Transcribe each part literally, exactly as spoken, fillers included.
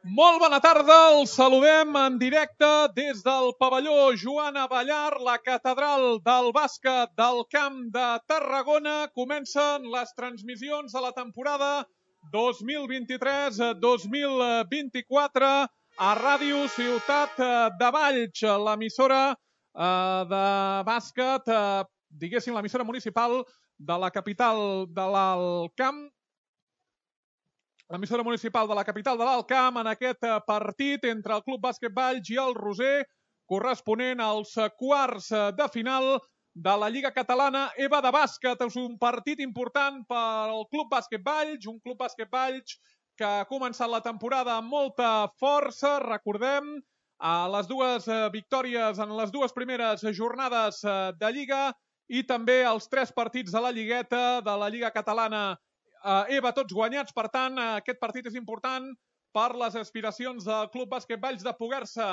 Molt bona tarda, els saludem en directe des del pavelló Joan Abellar, la catedral del bàsquet del Camp de Tarragona. Comencen les transmissions de la temporada dos mil vint-i-tres dos mil vint-i-quatre a Ràdio Ciutat de Valls, l'emissora de bàsquet, diguéssim, l'emissora municipal de la capital de l'Alt Camp, l'emissora municipal de la capital de l'Alt Camp, en aquest partit entre el Club Bàsquet Valls i el Roser, corresponent als quarts de final de la Lliga Catalana EVA de bàsquet. És un partit important per al Club Bàsquet Valls, un Club Bàsquet Valls que ha començat la temporada amb molta força. Recordem les dues victòries en les dues primeres jornades de Lliga i també els tres partits de la Lligueta de la Lliga Catalana EVA, tots guanyats. Per tant, aquest partit és important per les aspiracions del Club Bàsquet Valls de poder-se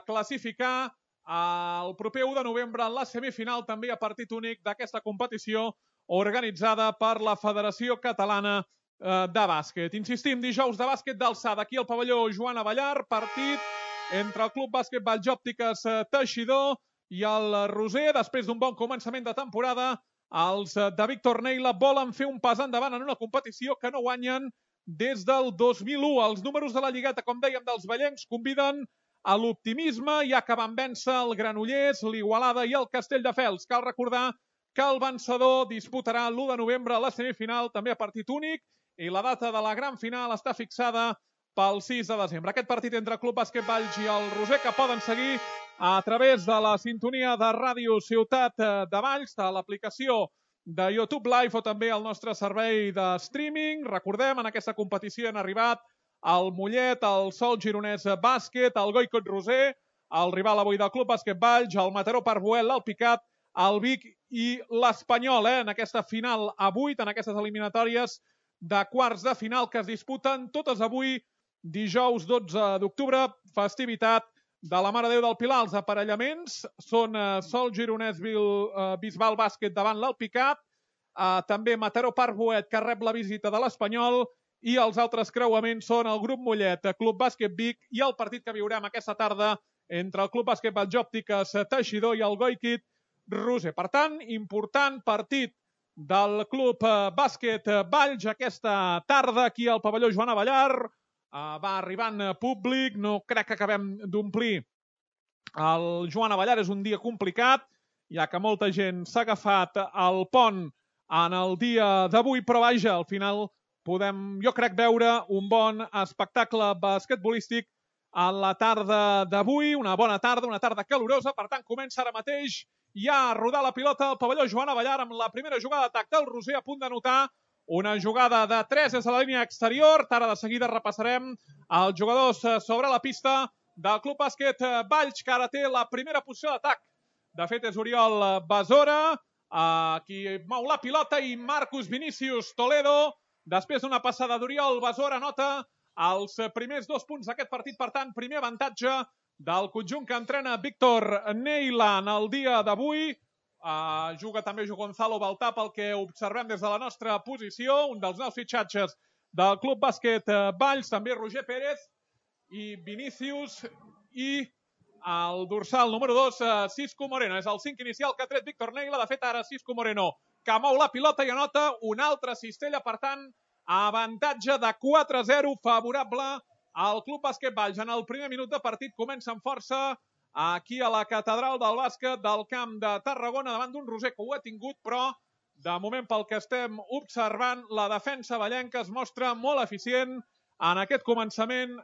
classificar el proper u de novembre en la semifinal, també a partit únic d'aquesta competició organitzada per la Federació Catalana de Bàsquet. Insistim, dijous de bàsquet d'alçada aquí al pavelló Joan Abellar, partit entre el Club Bàsquet Valls Òptiques Teixidor i el Roser. Després d'un bon començament de temporada, els de Víctor Neila volen fer un pas endavant en una competició que no guanyen des del dos mil u. Els números de la Lligueta, com dèiem, dels vallencs conviden a l'optimisme, ja que van vèncer el Granollers, l'Igualada i el Castelldefels. Cal recordar que el vencedor disputarà l'u de novembre a la semifinal, també a partit únic, i la data de la gran final està fixada pel sis de desembre. Aquest partit entre Club Bàsquet Valls i el Roser, que poden seguir a través de la sintonia de Ràdio Ciutat de Valls, de l'aplicació de YouTube Live o també el nostre servei de streaming. Recordem, en aquesta competició han arribat el Mollet, el Sol Gironès Bàsquet, el Goicot Roser, el rival avui del Club Bàsquet Valls, el Mataró Parbuel, l'Alpicat, el Vic i l'Espanyol, eh? en aquesta final a vuit, en aquestes eliminatòries de quarts de final que es disputen totes avui, dijous dotze d'octubre, festivitat de la Mare de Déu del Pilar. Els aparellaments són Sol Gironès Bisbal Bàsquet davant l'Alpicat, també Mataró Parbuet, que rep la visita de l'Espanyol, i els altres creuaments són el Grup Mollet, Club Bàsquet Vic, i el partit que viurem aquesta tarda entre el Club Bàsquet Valls Òptiques Teixidor i el Goicot Roser. Per tant, important partit del Club Bàsquet Valls aquesta tarda aquí al pavelló Joan Abellar. Va arribant públic, no crec que acabem d'omplir el Joan Abellar, és un dia complicat, ja que molta gent s'ha agafat al pont en el dia d'avui, però vaja, al final podem, jo crec, veure un bon espectacle basquetbolístic a la tarda d'avui, una bona tarda, una tarda calorosa. Per tant, comença ara mateix ja a rodar la pilota al pavelló Joan Abellar amb la primera jugada d'atac del Roser, a punt d'anotar una jugada de tres des de la línia exterior. Ara de seguida repassarem els jugadors sobre la pista del Club Bàsquet Valls, que ara té la primera posició d'atac. De fet, és Oriol Besora qui mou la pilota, i Marcus Vinícius Toledo, després d'una passada d'Oriol Besora, anota els primers dos punts d'aquest partit. Per tant, primer avantatge del conjunt que entrena Víctor Neila en el dia d'avui. Uh, juga també Gonzalo Baltà, pel que observem des de la nostra posició, un dels nous fitxatges del Club Bàsquet Valls, també Roger Pérez i Vinícius, i el dorsal número dos, uh, Cisco Moreno. És el cinc inicial que ha tret Víctor Neila. De fet, ara Cisco Moreno, que mou la pilota i anota una altra cistella. Per tant, avantatge de quatre a zero favorable al Club Bàsquet Valls. En el primer minut de partit comença amb força aquí a la catedral del bàsquet del Camp de Tarragona, davant d'un Roser que ho ha tingut, però de moment, pel que estem observant, la defensa vallenca es mostra molt eficient en aquest començament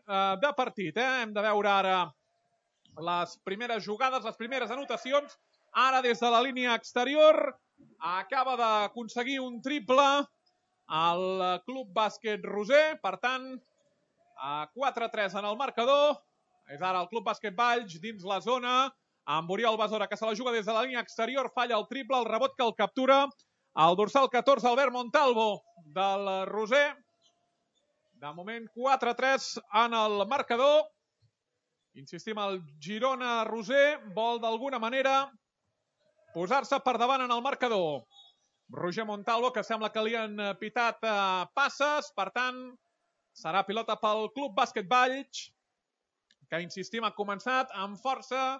de partit. Eh? Hem de veure ara les primeres jugades, les primeres anotacions. Ara des de la línia exterior acaba d'aconseguir un triple al Club Bàsquet Roser. Per tant, quatre a tres en el marcador. És ara el Club Bàsquet Valls dins la zona, amb Oriol Besora, que se la juga des de la línia exterior, falla el triple, el rebot que el captura el dorsal catorze, Albert Montalvo, del Roser. De moment, quatre a tres en el marcador. Insistim, el Girona-Roser vol d'alguna manera posar-se per davant en el marcador. Roger Montalvo, que sembla que li han pitat passes, per tant, Serà pilota pel Club Bàsquet Valls, que, insistim, ha començat amb força,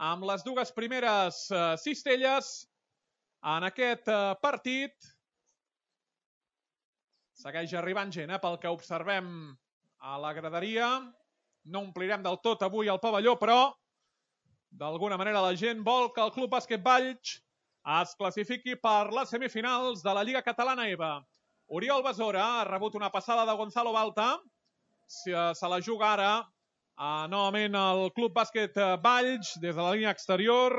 amb les dues primeres eh, cistelles en aquest eh, partit. Segueix arribant gent, eh, pel que observem a la graderia. No omplirem del tot avui el pavelló, però d'alguna manera la gent vol que el Club Bàsquet Valls es classifiqui per les semifinals de la Lliga Catalana E B A. Oriol Besora ha rebut una passada de Gonzalo Balta. Se, se la juga ara Uh, novament el Club Bàsquet Valls, des de la línia exterior.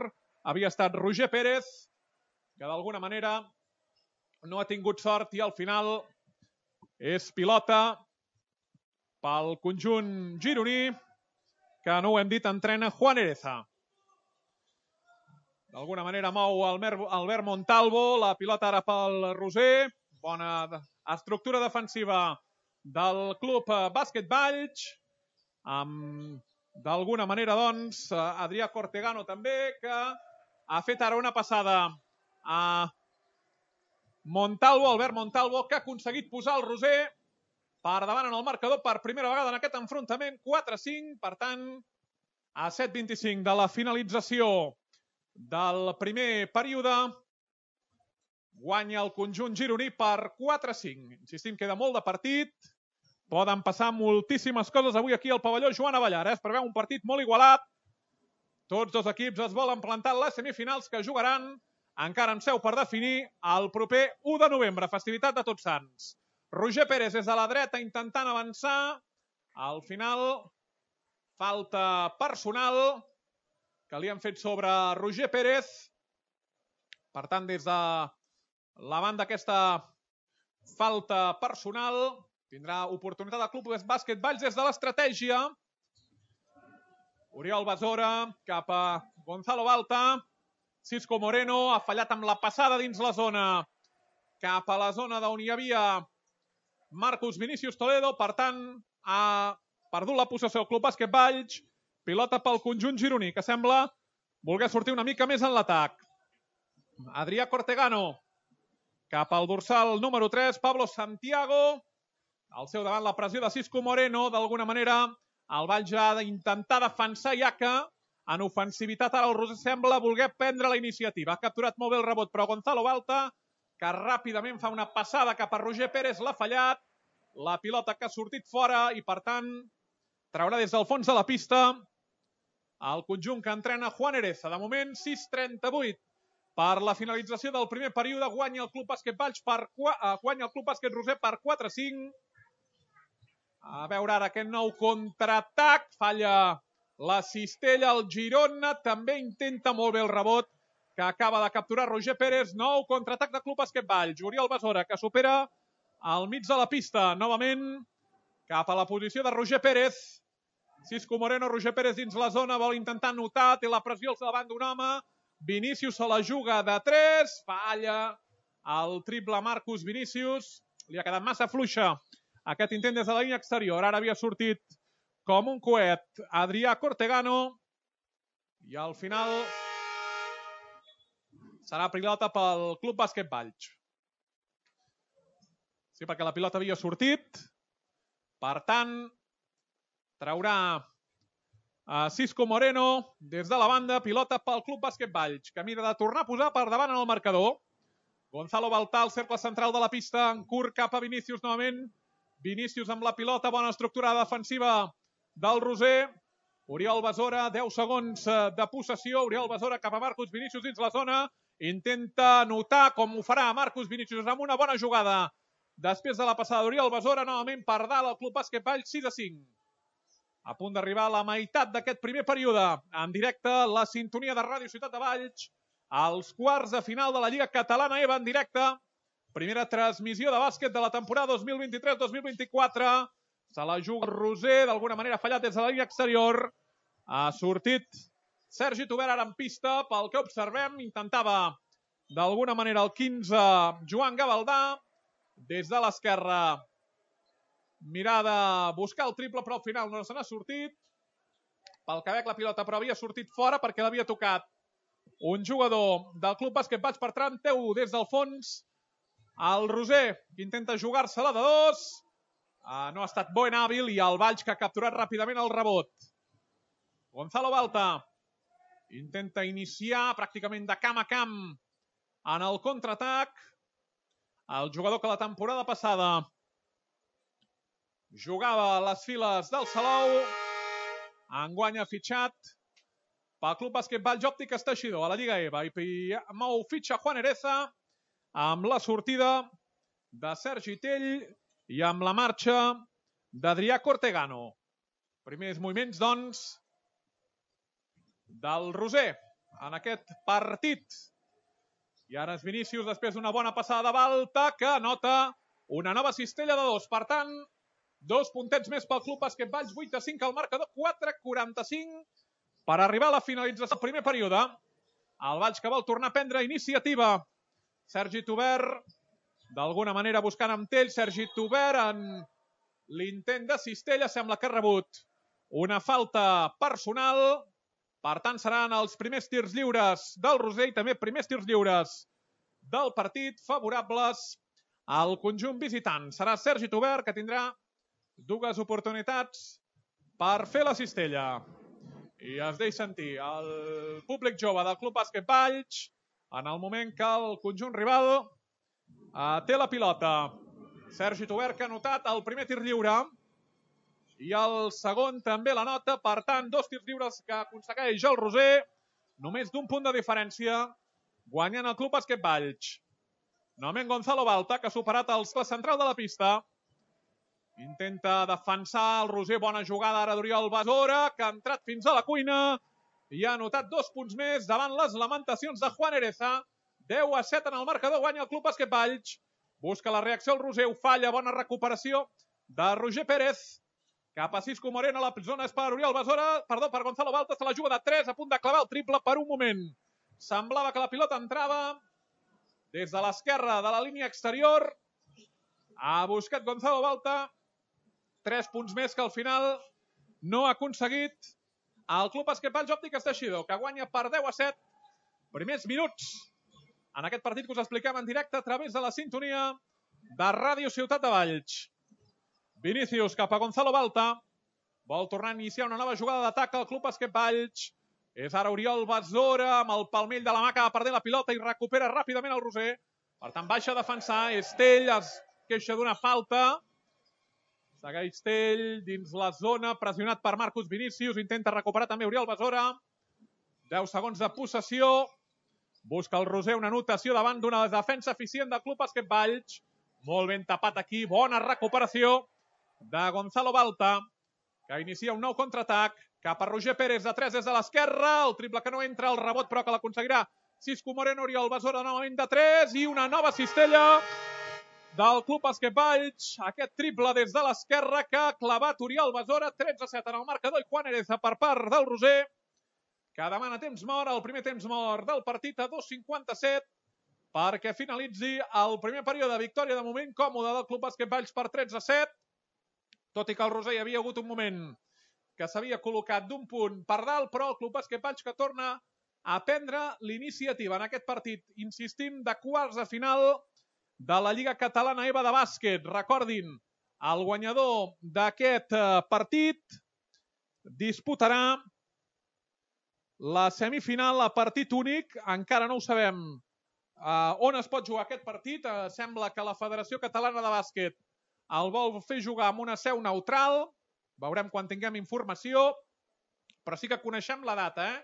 Havia estat Roger Pérez, que d'alguna manera no ha tingut sort i al final és pilota pel conjunt gironí, que no ho hem dit, entrena Juan Ereza. D'alguna manera mou Albert Montalvo, la pilota ara pel Roser. Bona estructura defensiva del Club Bàsquet Valls. Amb, d'alguna manera, doncs, Adrià Cortegano també, que ha fet ara una passada a Montalvo, Albert Montalvo, que ha aconseguit posar el Roser per davant en el marcador per primera vegada en aquest enfrontament. quatre a cinc, per tant, a set vint-i-cinc de la finalització del primer període, guanya el conjunt gironí per quatre a cinc. Insistim, queda molt de partit. Poden passar moltíssimes coses avui aquí al pavelló Joan Avellar. Eh? Es preveu un partit molt igualat. Tots dos equips es volen plantar en les semifinals, que jugaran encara en seu per definir el proper u de novembre, festivitat de Tots Sants. Roger Pérez és a la dreta intentant avançar. Al final, falta personal que li han fet sobre Roger Pérez. Per tant, des de la banda aquesta falta personal, tindrà oportunitat el Club Bàsquet Valls des de l'estratègia. Oriol Besora cap a Gonzalo Balta. Cisco Moreno ha fallat amb la passada dins la zona, cap a la zona d'on hi havia Marcus Vinícius Toledo. Per tant, ha perdut la possessió el Club Bàsquet Valls. Pilota pel conjunt gironí, que sembla voler sortir una mica més en l'atac. Adrià Cortegano cap al dorsal número tres, Pablo Santiago. Al seu davant la pressió de Cisco Moreno. D'alguna manera el Valls ha d'intentar defensar, ja que en ofensivitat ara el Roser sembla voler prendre la iniciativa. Ha capturat molt bé el rebot, però Gonzalo Balta, que ràpidament fa una passada cap a Roger Pérez, l'ha fallat. La pilota que ha sortit fora i, per tant, traurà des del fons de la pista el conjunt que entrena Juan Ereza. De moment, sis trenta-vuit per la finalització del primer període. Guanya el Club Bàsquet Valls per guanya el Club Bàsquet Roser per quatre a cinc. A veure ara aquest nou contraatac. Falla la cistella. El Girona també intenta molt bé el rebot que acaba de capturar Roger Pérez. Nou contraatac del Club Bàsquet Valls. Oriol Besora, que supera al mig de la pista. Novament cap a la posició de Roger Pérez. Cisco Moreno, Roger Pérez dins la zona. Vol intentar anotar. Té la pressió al davant d'un home. Vinícius se la juga de tres. Falla el triple Marcus Vinícius. Li ha quedat massa fluixa aquest intent des de la línia exterior. Ara havia sortit com un coet Adrià Cortegano. I al final serà pilota pel Club Bàsquet Valls. Sí, perquè la pilota havia sortit. Per tant, traurà a Cisco Moreno des de la banda. Pilota pel Club Bàsquet Valls, que mira de tornar a posar per davant en el marcador. Gonzalo Balta, al cercle central de la pista, en curt cap a Vinícius novament. Vinícius amb la pilota, bona estructura defensiva del Roser. Oriol Besora, deu segons de possessió. Oriol Besora cap a Marcus Vinícius dins la zona. Intenta anotar, com ho farà Marcus Vinícius, amb una bona jugada. Després de la passada d'Oriol Besora, novament per dalt el Club Bàsquet Valls, sis a cinc. A punt d'arribar a la meitat d'aquest primer període. En directe, la sintonia de Ràdio Ciutat de Valls. Els quarts de final de la Lliga Catalana E B A en directe. Primera transmissió de bàsquet de la temporada dos mil vint-i-tres dos mil vint-i-quatre. Se la juga el Roser, d'alguna manera fallat des de la línia exterior. Ha sortit Sergi Tober ara en pista, pel que observem. Intentava d'alguna manera el quinze Joan Gavaldà. Des de l'esquerra mirar de buscar el triple, però al final no se n'ha sortit. Pel que veig la pilota, però havia sortit fora perquè l'havia tocat un jugador del Club Bàsquet Valls. Per tant, té-ho des del fons el Roser, que intenta jugar-se-la de dos. no ha estat bo en hàbil i el Valls que ha capturat ràpidament el rebot. Gonzalo Balta intenta iniciar pràcticament de camp a camp en el contraatac. El jugador que la temporada passada jugava a les files del Salou, enguany ha fitxat pel Club Bàsquet Valls Òptiques Teixidor a la Lliga EVA i mou fitxa Juan Ereza amb la sortida de Sergi Tell i amb la marxa d'Adrià Cortegano. Primers moviments, doncs, del Roser en aquest partit. I ara és Vinícius, després d'una bona passada de Balta, que anota una nova cistella de dos. Per tant, dos puntets més pel Club Bàsquet Valls, vuit a cinc al marcador, quatre quaranta-cinc per arribar a la finalització del primer període. El Valls que vol tornar a prendre iniciativa. Sergi Tubert, d'alguna manera buscant amb Tell. Sergi Tubert en l'intent de cistella, sembla que ha rebut una falta personal. Per tant, seran els primers tirs lliures del Roser i també primers tirs lliures del partit favorables al conjunt visitant. Serà Sergi Tubert, que tindrà dues oportunitats per fer la cistella. I es deixa sentir el públic jove del Club Bàsquet Valls en el moment que el conjunt rival té la pilota. Sergi Tubert, que ha notat el primer tir lliure i el segon també la nota. Per tant, dos tirs lliures que aconsegueix el Roser, només d'un punt de diferència, guanyant el Club Bàsquet Valls. Novament Gonzalo Balta, que ha superat el central de la pista. Intenta defensar el Roser, bona jugada ara d'Oriol Besora, que ha entrat fins a la cuina i ha anotat dos punts més davant les lamentacions de Juan Ereza. deu a set en el marcador, guanya el Club Bàsquet Valls. Busca la reacció el Roser, ho falla, bona recuperació de Roger Pérez. Cap a Cisco Moreno, la zona és per Oriol Besora, perdó, per Gonzalo Balta, se la juga de tres, a punt de clavar el triple per un moment. Semblava que la pilota entrava des de l'esquerra de la línia exterior. Ha buscat Gonzalo Balta, tres punts més que al final no ha aconseguit el Club Bàsquet Valls Òptiques Teixidor, que guanya per deu a set. Primers minuts en aquest partit que us expliquem en directe a través de la sintonia de Ràdio Ciutat de Valls. Vinícius cap a Gonzalo Balta. Vol tornar a iniciar una nova jugada d'atac al Club Bàsquet Valls. És ara Oriol Besora amb el palmell de la mà que va perdent la pilota i recupera ràpidament el Roser. Per tant, baixa a defensar. Estell es queixa d'una falta. Segueix Tell dins la zona, pressionat per Marcus Vinícius. Intenta recuperar també Oriol Besora. deu segons de possessió. Busca el Roser una anotació davant d'una defensa eficient del Club Bàsquet Valls. Molt ben tapat aquí. Bona recuperació de Gonzalo Balta, que inicia un nou contraatac cap a Roger Pérez de tres des de l'esquerra. El triple que no entra, el rebot però que l'aconseguirà Cisco Moreno. Oriol Besora novament de tres i una nova cistella del Club Bàsquet Valls. Aquest triple des de l'esquerra que ha clavat Oriol Besora. tretze a set en el marcador i Juan Ereza per part del Roser, que demana temps mort, el primer temps mort del partit a dos cinquanta-set perquè finalitzi el primer període. Victòria de moment còmoda del Club Bàsquet Valls per tretze a set, tot i que el Roser hi havia hagut un moment que s'havia col·locat d'un punt per dalt, però el Club Bàsquet Valls que torna a prendre l'iniciativa en aquest partit, insistim, de quarts de final de la Lliga Catalana EVA de bàsquet. Recordin, el guanyador d'aquest partit disputarà la semifinal a partit únic. Encara no ho sabem uh, on es pot jugar aquest partit. Uh, sembla que la Federació Catalana de Bàsquet el vol fer jugar amb una seu neutral. Veurem quan tinguem informació, però sí que coneixem la data, eh?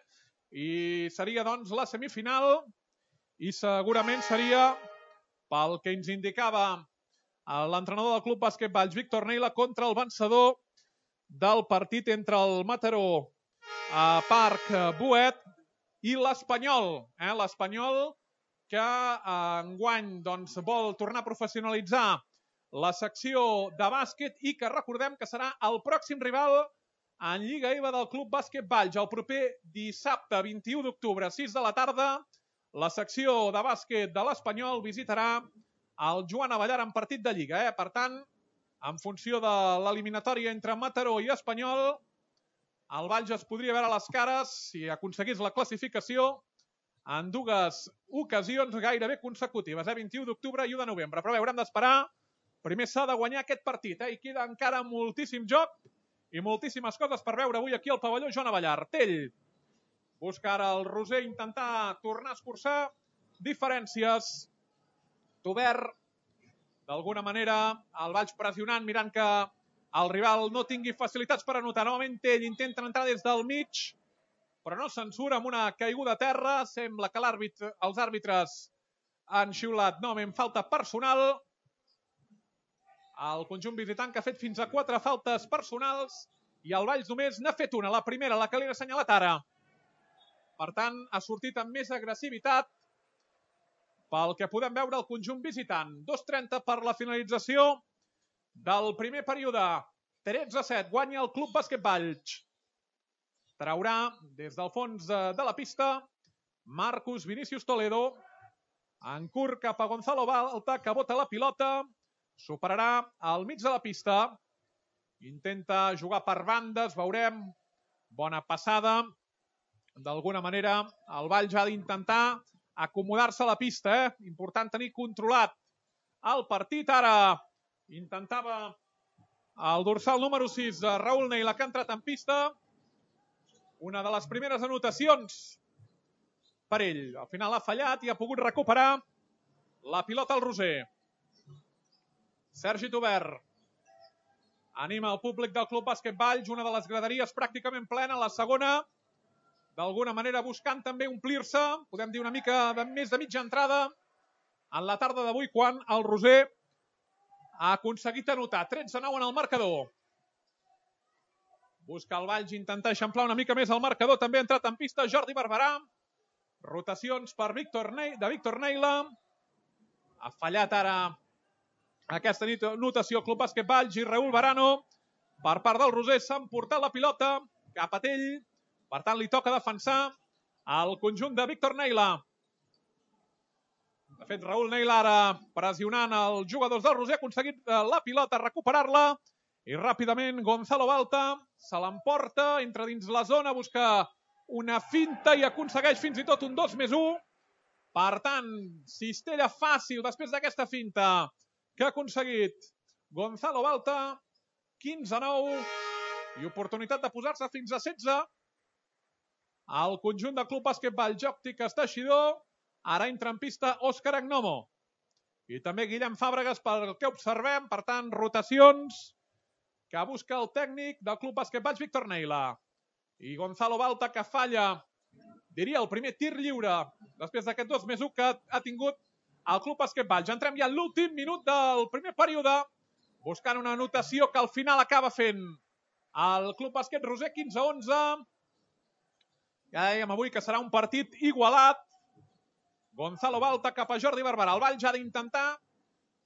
I seria, doncs, la semifinal i segurament seria, pel que ens indicava l'entrenador del Club Bàsquet Valls, Víctor Neila, contra el vencedor del partit entre el Mataró a Parc Boet i l'Espanyol. Eh? L'Espanyol que eh, enguany doncs, vol tornar a professionalitzar la secció de bàsquet i que recordem que serà el pròxim rival en Lliga EVA del Club Bàsquet Valls. El proper dissabte vint-i-u d'octubre a sis de la tarda, la secció de bàsquet de l'Espanyol visitarà el Joan Avellar en partit de Lliga. Eh? Per tant, en funció de l'eliminatòria entre Mataró i Espanyol, el Valls es podria veure a les cares, si aconseguís la classificació, en dues ocasions gairebé consecutives, eh? vint-i-u d'octubre i u de novembre. Però bé, haurem d'esperar Primer s'ha de guanyar aquest partit, eh? I queda encara moltíssim joc i moltíssimes coses per veure avui aquí al pavelló Joan Abellar. Tell busca ara el Roser intentar tornar a escurçar diferències. Tobert, d'alguna manera, el Valls pressionant, mirant que el rival no tingui facilitats per anotar. Novament Tell intenta entrar des del mig, però no censura amb una caiguda a terra. Sembla que l'àrbitre, els àrbitres han xiulat novament falta personal. El conjunt visitant que ha fet fins a quatre faltes personals i el Valls només n'ha fet una, la primera, la que li he assenyalat ara. Per tant, ha sortit amb més agressivitat pel que podem veure el conjunt visitant. dos trenta per la finalització del primer període. tretze a set, guanya el Club Bàsquet Valls. Traurà des del fons de la pista Marcus Vinícius Toledo. En curt cap a Gonzalo Balta, que bota la pilota. Superarà al mig de la pista. Intenta jugar per bandes, veurem. Bona passada. D'alguna manera, el Valls ha d'intentar acomodar-se a la pista. Eh? Important tenir controlat el partit. Ara intentava el dorsal número sis, Raül Neila, que ha entrat en pista. Una de les primeres anotacions per ell. Al final ha fallat i ha pogut recuperar la pilota al Roser. Sergi Tobert anima el públic del Club Bàsquet Valls, una de les graderies pràcticament plena, la segona, d'alguna manera buscant també omplir-se, podem dir una mica de més de mitja entrada, en la tarda d'avui, quan el Roser ha aconseguit anotar. tretze a nou en el marcador. Busca el Valls intentar eixamplar una mica més el marcador, també ha entrat en pista Jordi Barberà. Rotacions per Víctor ne de Víctor Neila. Ha fallat ara aquesta notació Club Bàsquet Valls i Raül Barano. Per part del Roser s'ha emportat la pilota cap a Tell. Per tant, li toca defensar el conjunt de Víctor Neila. De fet, Raül Neila ara pressionant els jugadors del Roser, ha aconseguit la pilota, recuperar-la. I ràpidament Gonzalo Balta se l'emporta, entra dins la zona, busca una finta i aconsegueix fins i tot un dos més u. Per tant, cistella fàcil després d'aquesta finta que ha aconseguit Gonzalo Balta. quinze a nou i oportunitat de posar-se fins a setze. El conjunt del Club Bàsquet Valls, Òptiques Teixidor. Ara entra en pista Òscar Agnomo. I també Guillem Fàbregas, pel que observem. Per tant, rotacions que busca el tècnic del Club Bàsquet Valls, Víctor Neila. I Gonzalo Balta, que falla, diria, el primer tir lliure després d'aquest dos més u que ha tingut el Club Bàsquet Valls. Entrem ja en l'últim minut del primer període, buscant una anotació que al final acaba fent el Club Bàsquet Roser. quinze a onze. Ja dèiem avui que serà un partit igualat. Gonzalo Balta cap a Jordi Barberà. El Valls ha d'intentar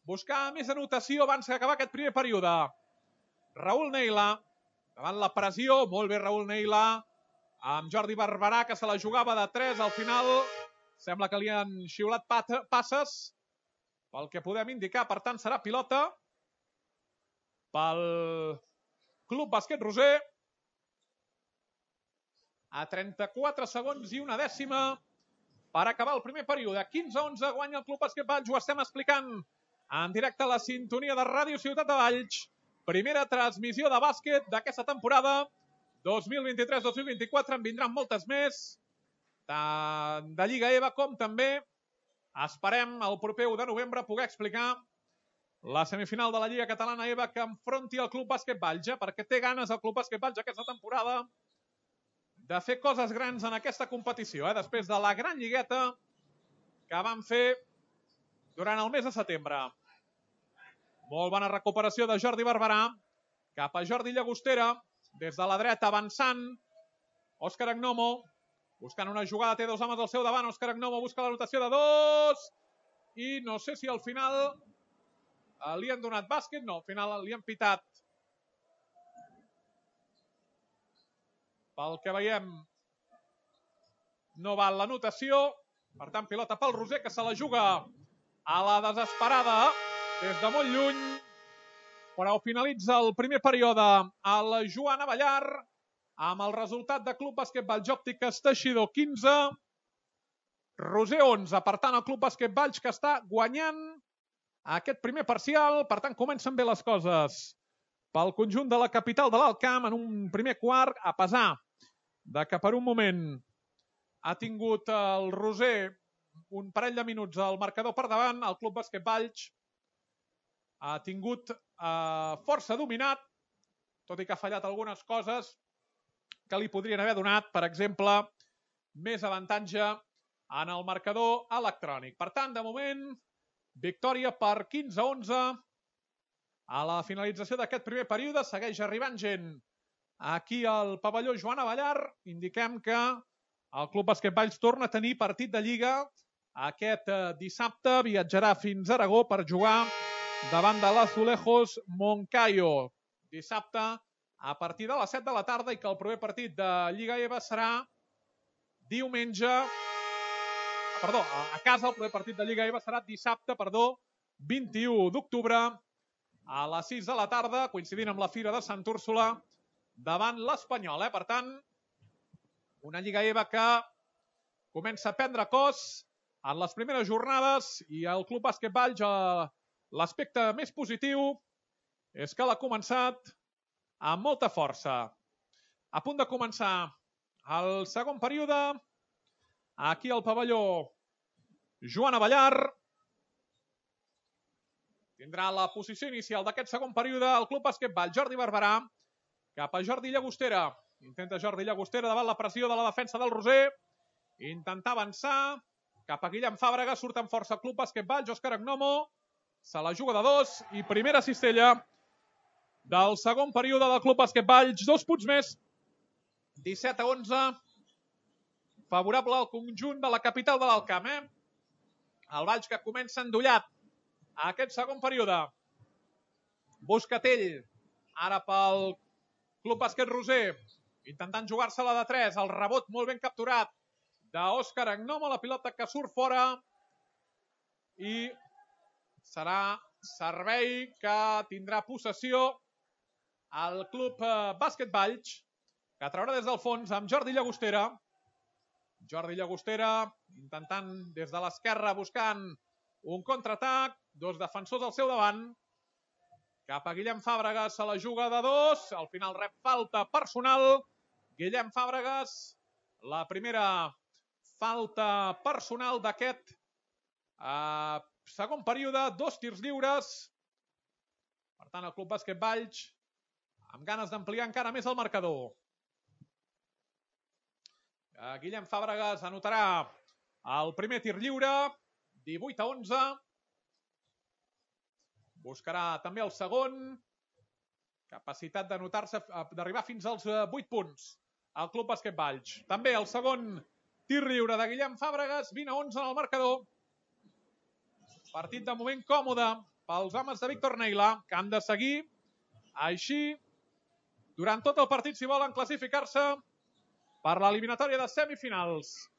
buscar més anotació abans d'acabar aquest primer període. Raül Neila, davant la pressió, molt bé Raül Neila, amb Jordi Barberà, que se la jugava de tres. Al final sembla que li han xiulat passes, pel que podem indicar. Per tant, serà pilota pel Club Bàsquet Roser. A trenta-quatre segons i una dècima per acabar el primer període. quinze a onze guanya el Club Bàsquet Valls. Ho estem explicant en directe a la sintonia de Ràdio Ciutat de Valls. Primera transmissió de bàsquet d'aquesta temporada dos mil vint-i-tres dos mil vint-i-quatre. En vindran moltes més, tant de Lliga E V A com també esperem el proper u de novembre poder explicar la semifinal de la Lliga Catalana E V A que enfronti el Club Bàsquet Valls, eh? perquè té ganes el Club Bàsquet Valls aquesta temporada de fer coses grans en aquesta competició, eh? després de la gran lligueta que van fer durant el mes de setembre. Molt bona recuperació de Jordi Barberà cap a Jordi Llagostera, des de la dreta avançant Òscar Agnomo, buscant una jugada, té dos homes al seu davant. Òscar Agnomo busca l'anotació de dos i no sé si al final li han donat bàsquet. No, al final li han pitat. Pel que veiem, no val l'anotació. Per tant, pilota pel Roser, que se la juga a la desesperada des de molt lluny, però finalitza el primer període el Joan Abellar amb el resultat de Club Bàsquet Valls Òptiques Teixidor quinze, Roser onze. Per tant, el Club Bàsquet Valls que està guanyant aquest primer parcial. Per tant, comencen bé les coses pel conjunt de la capital de l'Alt Camp en un primer quart, a pesar de que per un moment ha tingut el Roser un parell de minuts al marcador per davant. El Club Bàsquet Valls ha tingut eh, força dominat, tot i que ha fallat algunes coses que li podrien haver donat, per exemple, més avantatge en el marcador electrònic. Per tant, de moment, victòria per quinze a onze. A la finalització d'aquest primer període segueix arribant gent aquí al pavelló Joan Abellar. Indiquem que el Club Bàsquet Valls torna a tenir partit de Lliga aquest dissabte. Viatjarà fins a Aragó per jugar davant de l'Azulejos Moncayo. Dissabte a partir de les set de la tarda, i que el proper partit de Lliga E V A serà diumenge... Perdó, a casa el proper partit de Lliga E V A serà dissabte, perdó, vint-i-u d'octubre, a les sis de la tarda, coincidint amb la Fira de Sant Úrsula, davant l'Espanyol. Eh? Per tant, una Lliga E V A que comença a prendre cos en les primeres jornades, i el Club Bàsquet Valls, l'aspecte més positiu és que l'ha començat amb molta força. A punt de començar el segon període, aquí al pavelló Joan Abellar. Tindrà la posició inicial d'aquest segon període el Club Bàsquet Valls. Jordi Barberà cap a Jordi Llagostera. Intenta Jordi Llagostera davant la pressió de la defensa del Roser. Intentar avançar cap a Guillem Fàbrega. Surt amb força el Club Bàsquet Valls. Òscar Agnomo se la juga de dos i primera cistella del segon període del Club Bàsquet Valls. Dos punts més. disset a onze. Favorable al conjunt de la capital de l'Alt Camp. Eh? El Valls que comença endollat a aquest segon període. Buscatell, ara pel Club Bàsquet Roser, intentant jugar-se-la de tres. El rebot molt ben capturat d'Òscar Agnomo, la pilota que surt fora, i serà servei que tindrà possessió el Club Bàsquet Valls, que traurà des del fons amb Jordi Llagostera. Jordi Llagostera intentant des de l'esquerra, buscant un contraatac. Dos defensors al seu davant. Cap a Guillem Fàbregas, se la juga de dos. Al final rep falta personal. Guillem Fàbregas, la primera falta personal d'aquest eh, segon període. Dos tirs lliures. Per tant, el Club Bàsquet Valls amb ganes d'ampliar encara més el marcador. Eh, Guillem Fàbregas anotarà el primer tir lliure. divuit a onze. Buscarà també el segon. Capacitat d'anotar-se, d'arribar fins als vuit punts al Club Bàsquet Valls. També el segon tir lliure de Guillem Fàbregas. vint a onze en el marcador. Partit de moment còmode pels homes de Víctor Neila, que han de seguir així durant tot el partit si volen classificar-se per l'eliminatòria de semifinals.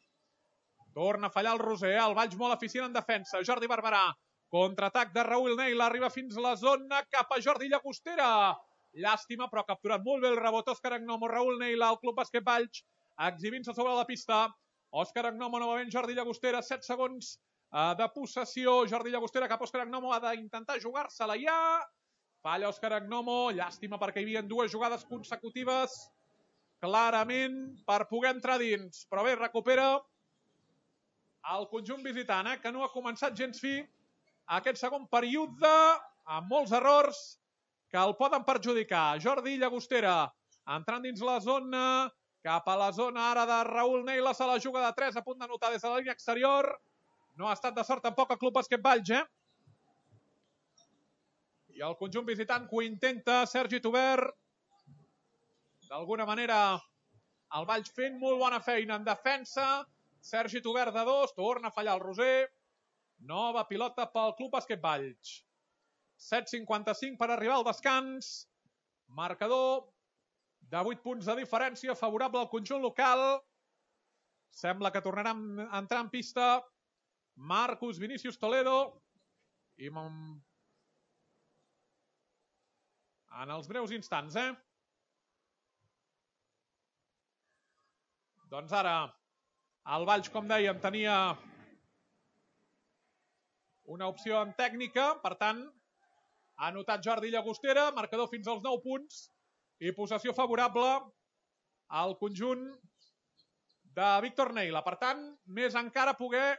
Torna a fallar el Roser. El Valls molt eficient en defensa. Jordi Barberà. Contraatac de Raül Neila. Arriba fins la zona cap a Jordi Llagostera. Llàstima, però ha capturat molt bé el rebot Òscar Agnomo. Raül Neila, el Club Bàsquet Valls, exhibint-se sobre la pista. Òscar Agnomo, novament Jordi Llagostera. set segons de possessió. Jordi Llagostera cap a Òscar Agnomo. Ha d'intentar jugar-se-la ja. Falla Òscar Agnomo. Llàstima, perquè hi havia dues jugades consecutives clarament per poder entrar dins. Però bé, recupera el conjunt visitant, eh, que no ha començat gens fi aquest segon període, amb molts errors que el poden perjudicar. Jordi Llagostera entrant dins la zona, cap a la zona ara de Raül Neila, se la juga de tres, a punt d'anotar des de la línia exterior. No ha estat de sort tampoc el Club Bàsquet Valls, eh? I el conjunt visitant que ho intenta, Sergi Tover. D'alguna manera, el Valls fent molt bona feina en defensa. Sergi Tover de dos, torna a fallar el Roser. Nova pilota pel Club Bàsquet Valls. set cinquanta-cinc per arribar al descans. Marcador de vuit punts de diferència, favorable al conjunt local. Sembla que tornarà a entrar en pista Marcus Vinícius Toledo. I en els breus instants, eh? Doncs ara el Valls, com dèiem, tenia una opció en tècnica, per tant, ha anotat Jordi Llagostera, marcador fins als nou punts i possessió favorable al conjunt de Víctor Neila. Per tant, més encara poder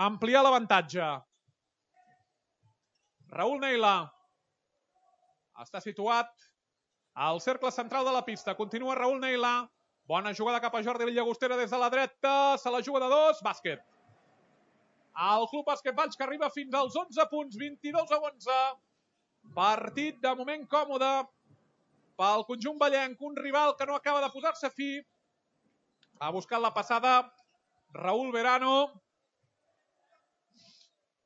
ampliar l'avantatge. Raül Neila està situat al cercle central de la pista. Continua Raül Neila. Bona jugada cap a Jordi Llagostera des de la dreta. Se la juga de dos. Bàsquet. El Club Bàsquet Valls que arriba fins als onze punts. vint-i-dos a onze. Partit de moment còmode pel conjunt vallenc. Un rival que no acaba de posar-se fi. Ha buscat la passada Raúl Verano.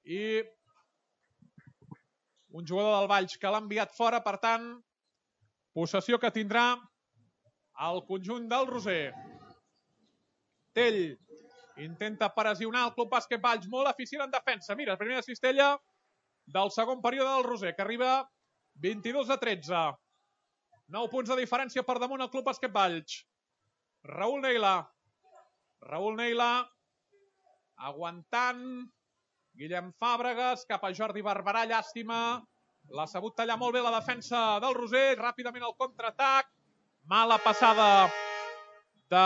I un jugador del Valls que l'ha enviat fora. Per tant, possessió que tindrà el conjunt del Roser. Tell intenta pressionar el Club Bàsquet Valls, molt eficient en defensa. Mira, primera cistella del segon període del Roser, que arriba vint-i-dos a tretze. nou punts de diferència per damunt el Club Bàsquet Valls. Raül Neila. Raül Neila aguantant. Guillem Fàbregas cap a Jordi Barberà, llàstima. L'ha sabut tallar molt bé la defensa del Roser. Ràpidament el contraatac. Mala passada de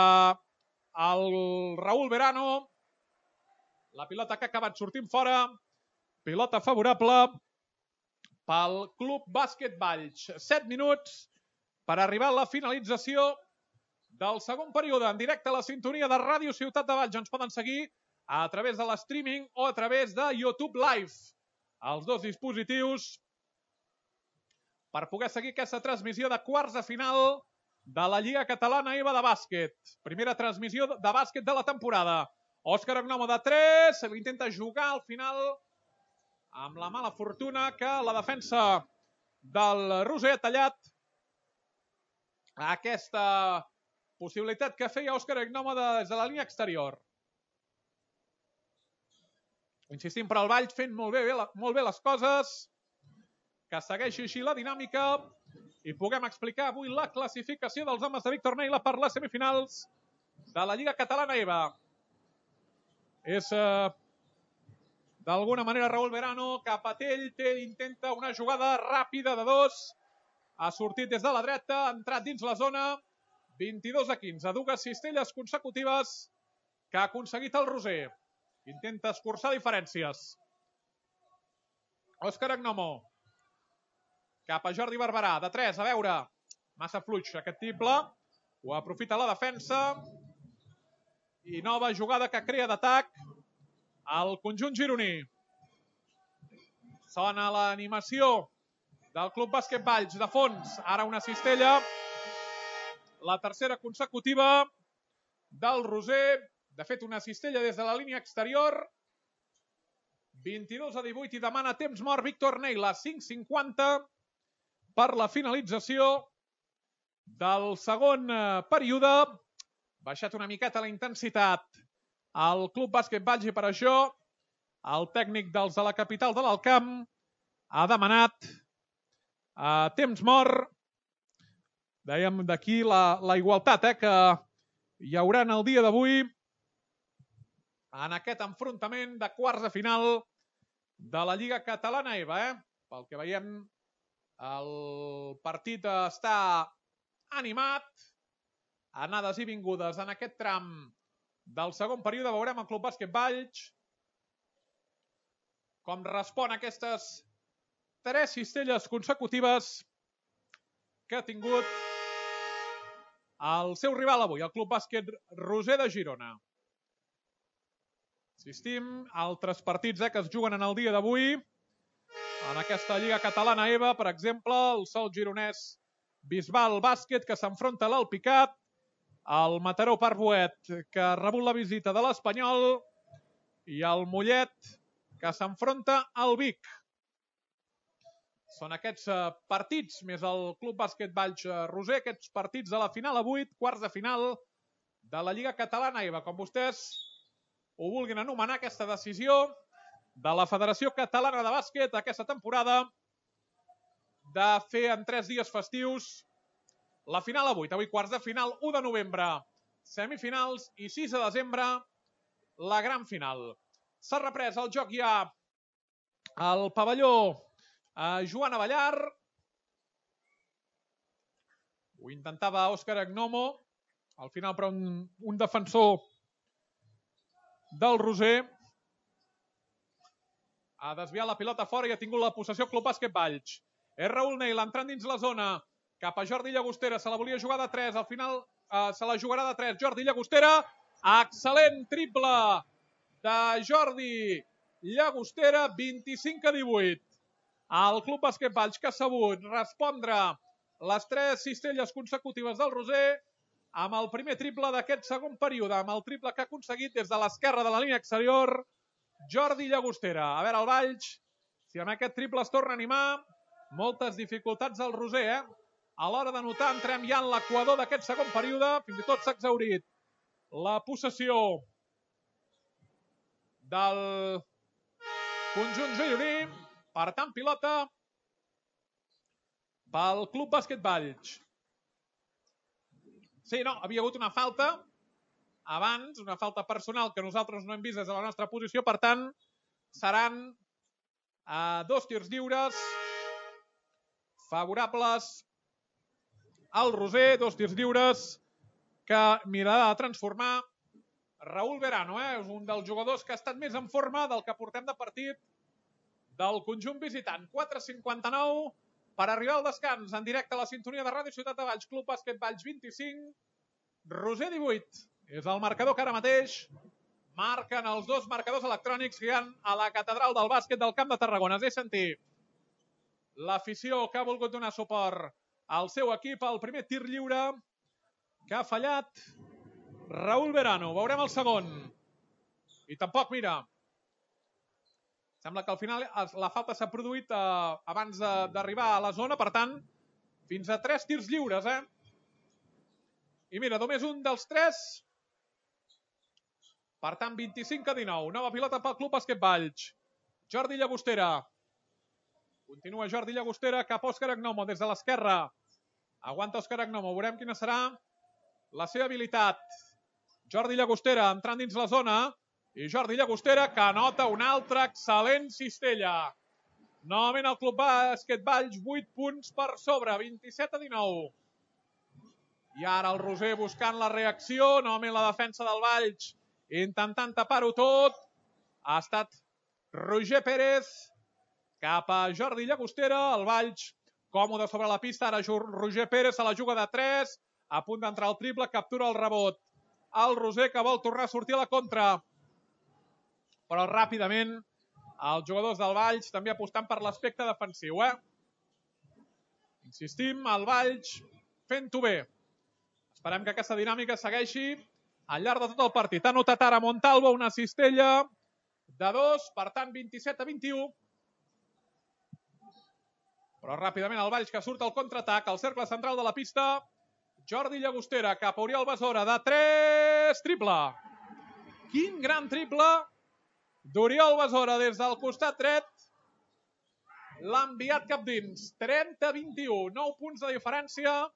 el Raúl Verano. La pilota que ha acabat sortint fora. Pilota favorable pel Club Bàsquet Valls. set minuts per arribar a la finalització del segon període. En directe a la sintonia de Ràdio Ciutat de Valls. Ens poden seguir a través de l'streaming o a través de YouTube Live. Els dos dispositius per poder seguir aquesta transmissió de quarts de final de la Lliga Catalana EVA de bàsquet. Primera transmissió de bàsquet de la temporada. Òscar Agnomo de tres, intenta jugar al final amb la mala fortuna que la defensa del Roser ha tallat aquesta possibilitat que feia Òscar Agnomo des de la línia exterior. Insistim per al Valls fent molt bé, molt bé les coses, que segueixi així la dinàmica i puguem explicar avui la classificació dels homes de Víctor Neila per les semifinals de la Lliga Catalana EVA. És eh, d'alguna manera Raúl Verano cap a Tell. Tell intenta una jugada ràpida de dos. Ha sortit des de la dreta, ha entrat dins la zona. vint-i-dos a quinze. Dues cistelles consecutives que ha aconseguit el Roser. Intenta escurçar diferències. Òscar Agnomo. Cap a Jordi Barberà. De tres, a veure. Massa fluix aquest triple. Ho aprofita la defensa. I nova jugada que crea d'atac al conjunt gironí. Sona l'animació del Club Bàsquet Valls. De fons, ara una cistella. La tercera consecutiva del Roser. De fet, una cistella des de la línia exterior. vint-i-dos a divuit i demana temps mort Víctor Neila. cinc cinquanta per la finalització del segon període. Baixat una miqueta la intensitat al Club Bàsquet Valls i per això el tècnic dels de la capital de l'Alt Camp ha demanat eh, temps mort. Dèiem d'aquí la, la igualtat eh, que hi haurà en el dia d'avui en aquest enfrontament de quarts de final de la Lliga Catalana EVA. Eh? Pel que veiem, el partit està animat. Anades i vingudes en aquest tram del segon període. Veurem el Club Bàsquet Valls com respon a aquestes tres cistelles consecutives que ha tingut el seu rival avui, el Club Bàsquet Roser de Girona. Insistim, altres partits eh, que es juguen en el dia d'avui en aquesta Lliga Catalana EVA, per exemple, el Sol Gironès Bisbal Bàsquet que s'enfronta a l'Alpicat, el Mataró Parc-Boet que ha rebut la visita de l'Espanyol i el Mollet que s'enfronta al Vic. Són aquests partits, més el Club Bàsquet Valls Roser, aquests partits de la final a vuit, quarts de final de la Lliga Catalana EVA. Com vostès ho vulguin anomenar, aquesta decisió de la Federació Catalana de Bàsquet aquesta temporada de fer en tres dies festius la final a vuit. Avui quarts de final, u de novembre, semifinals i sis de desembre, la gran final. S'ha reprès el joc ja al pavelló a Joan Avellar. Ho intentava Òscar Agnomo. Al final, però, un, un defensor del Roser ha desviat la pilota fora i ha tingut la possessió Club Bàsquet Valls. És Raül Neil entrant dins la zona cap a Jordi Llagostera. Se la volia jugar de tres. Al final eh, se la jugarà de tres. Jordi Llagostera. Excel·lent triple de Jordi Llagostera. vint-i-cinc a divuit. El Club Bàsquet Valls, que ha sabut respondre les tres cistelles consecutives del Roser amb el primer triple d'aquest segon període, amb el triple que ha aconseguit des de l'esquerra de la línia exterior Jordi Llagostera. A veure el Valls, si amb aquest triple es torna a animar. Moltes dificultats al Roser, eh? A l'hora de notar, entrem ja en l'equador d'aquest segon període. Fins i tot s'ha exhaurit la possessió del conjunt gironí. Per tant, pilota pel Club Bàsquet Valls. Sí, no, havia hagut una falta abans, una falta personal que nosaltres no hem vist des de la nostra posició. Per tant, seran eh, dos tirs lliures favorables al Roser, dos tirs lliures que mirarà de transformar Raül Verano. Eh? És un dels jugadors que ha estat més en forma del que portem de partit del conjunt visitant. quatre cinquanta-nou per arribar al descans en directe a la sintonia de Ràdio Ciutat de Valls. Club Bàsquet Valls vint-i-cinc, Roser divuit. És el marcador que ara mateix marquen els dos marcadors electrònics que hi ha a la catedral del bàsquet del Camp de Tarragona. Es deixa sentir l'afició que ha volgut donar suport al seu equip. El primer tir lliure que ha fallat Raül Verano. Veurem el segon. I tampoc, mira, sembla que al final la falta s'ha produït eh, abans d'arribar a la zona. Per tant, fins a tres tirs lliures, eh? I mira, només un dels tres. Per tant, vint-i-cinc a dinou. Nova pilota pel Club Bàsquet Valls. Jordi Llagostera. Continua Jordi Llagostera cap a Òscar Agnomo des de l'esquerra. Aguanta Òscar Agnomo. Veurem quina serà la seva habilitat. Jordi Llagostera entrant dins la zona. I Jordi Llagostera que anota una altra excel·lent cistella. Novament el Club Bàsquet Valls, vuit punts per sobre, vint-i-set a dinou. I ara el Roser buscant la reacció. Novament la defensa del Valls intentant tapar-ho tot. Ha estat Roger Pérez cap a Jordi Llagostera. El Valls còmode sobre la pista. Ara Roger Pérez se la juga de tres. A punt d'entrar el triple. Captura el rebot. El Roser que vol tornar a sortir a la contra. Però ràpidament els jugadors del Valls també apostant per l'aspecte defensiu. Eh? Insistim, el Valls fent-ho bé. Esperem que aquesta dinàmica segueixi al llarg de tot el partit. Ha notat ara Montalvo una cistella de dos, per tant vint-i-set a vint-i-u. Però ràpidament el Valls que surt al contraatac, al cercle central de la pista. Jordi Llagostera cap a Oriol Besora de tres, triple. Quin gran triple d'Oriol Besora des del costat dret. L'ha enviat cap dins. trenta a vint-i-u, nou punts de diferència.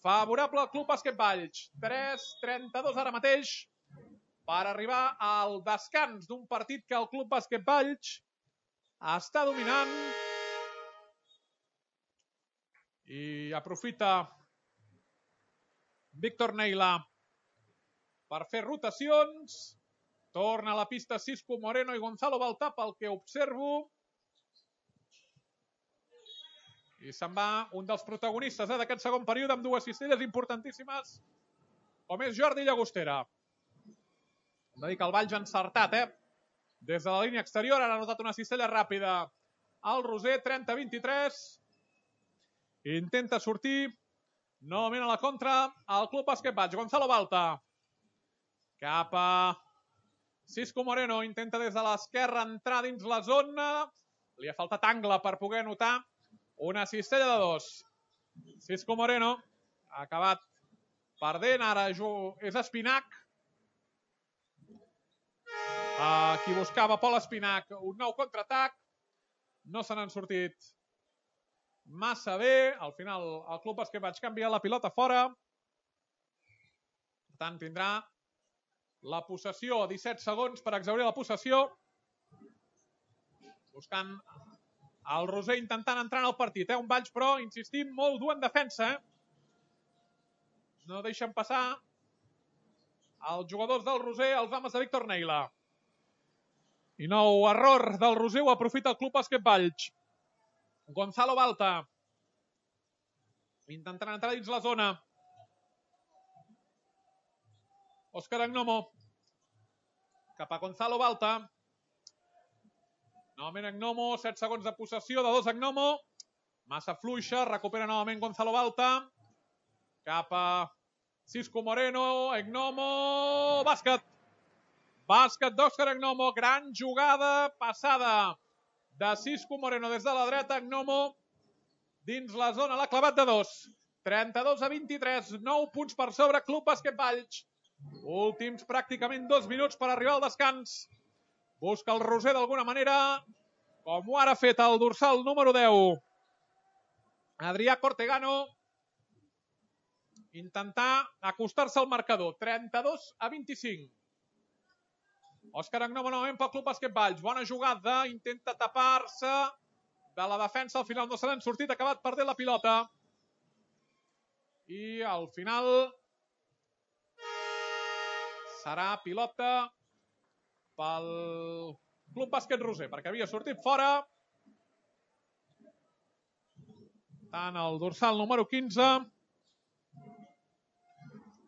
Favorable al Club Bàsquet Valls. tres trenta-dos ara mateix per arribar al descans d'un partit que el Club Bàsquet Valls està dominant. I aprofita Víctor Neila per fer rotacions. Torna a la pista Cisco Moreno i Gonzalo Baltà, pel que observo. I se'n va un dels protagonistes eh, d'aquest segon període amb dues cistelles importantíssimes, com és Jordi Llagostera. Hem de dir que el Valls ha encertat, eh? Des de la línia exterior, ara ha notat una cistella ràpida. El Roser, trenta a vint-i-tres. Intenta sortir. Novament a la contra, el Club Bàsquet Valls. Gonzalo Baltà. Cap a Cisco Moreno. Intenta des de l'esquerra entrar dins la zona. Li ha faltat angle per poder anotar una cistella de dos. Cisco Moreno ha acabat perdent. Ara és Espinac. Qui buscava Pol Espinac. Un nou contraatac. No se n'han sortit massa bé. Al final el Club Bàsquet Valls canvia la pilota fora. Per tant, tindrà la possessió. disset segons per exhaurir la possessió. buscant el Roser intentant entrar en el partit. Eh? Un Valls, però, insistim, molt dur en defensa. Eh? No deixen passar els jugadors del Roser, els homes de Víctor Neila. I nou error del Roser, ho aprofita el Club Bàsquet Valls. Gonzalo Balta. Intentant entrar dins la zona. Òscar Agnomo. Cap a Gonzalo Balta. Novament Agnomo, set segons de possessió, de dos Agnomo. Massa fluixa, recupera novament Gonzalo Balta. Cap a Cisco Moreno, Agnomo, bàsquet. Bàsquet d'Òscar Agnomo, gran jugada passada de Cisco Moreno des de la dreta, Agnomo dins la zona, l'ha clavat de dos. trenta-dos a vint-i-tres, nou punts per sobre, Club Bàsquet Valls. Últims pràcticament dos minuts per arribar al descans. Busca el Roser d'alguna manera, com ho ara ha fet el dorsal número deu. Adrià Cortegano. Intentar acostar-se al marcador. trenta-dos a vint-i-cinc. Òscar Agnomo novament pel Club Bàsquet Valls. Bona jugada, intenta tapar-se de la defensa. Al final no se n'han sortit, ha acabat perdent la pilota. I al final serà pilota pel Club Bàsquet Roser, perquè havia sortit fora. Tant el dorsal número quinze,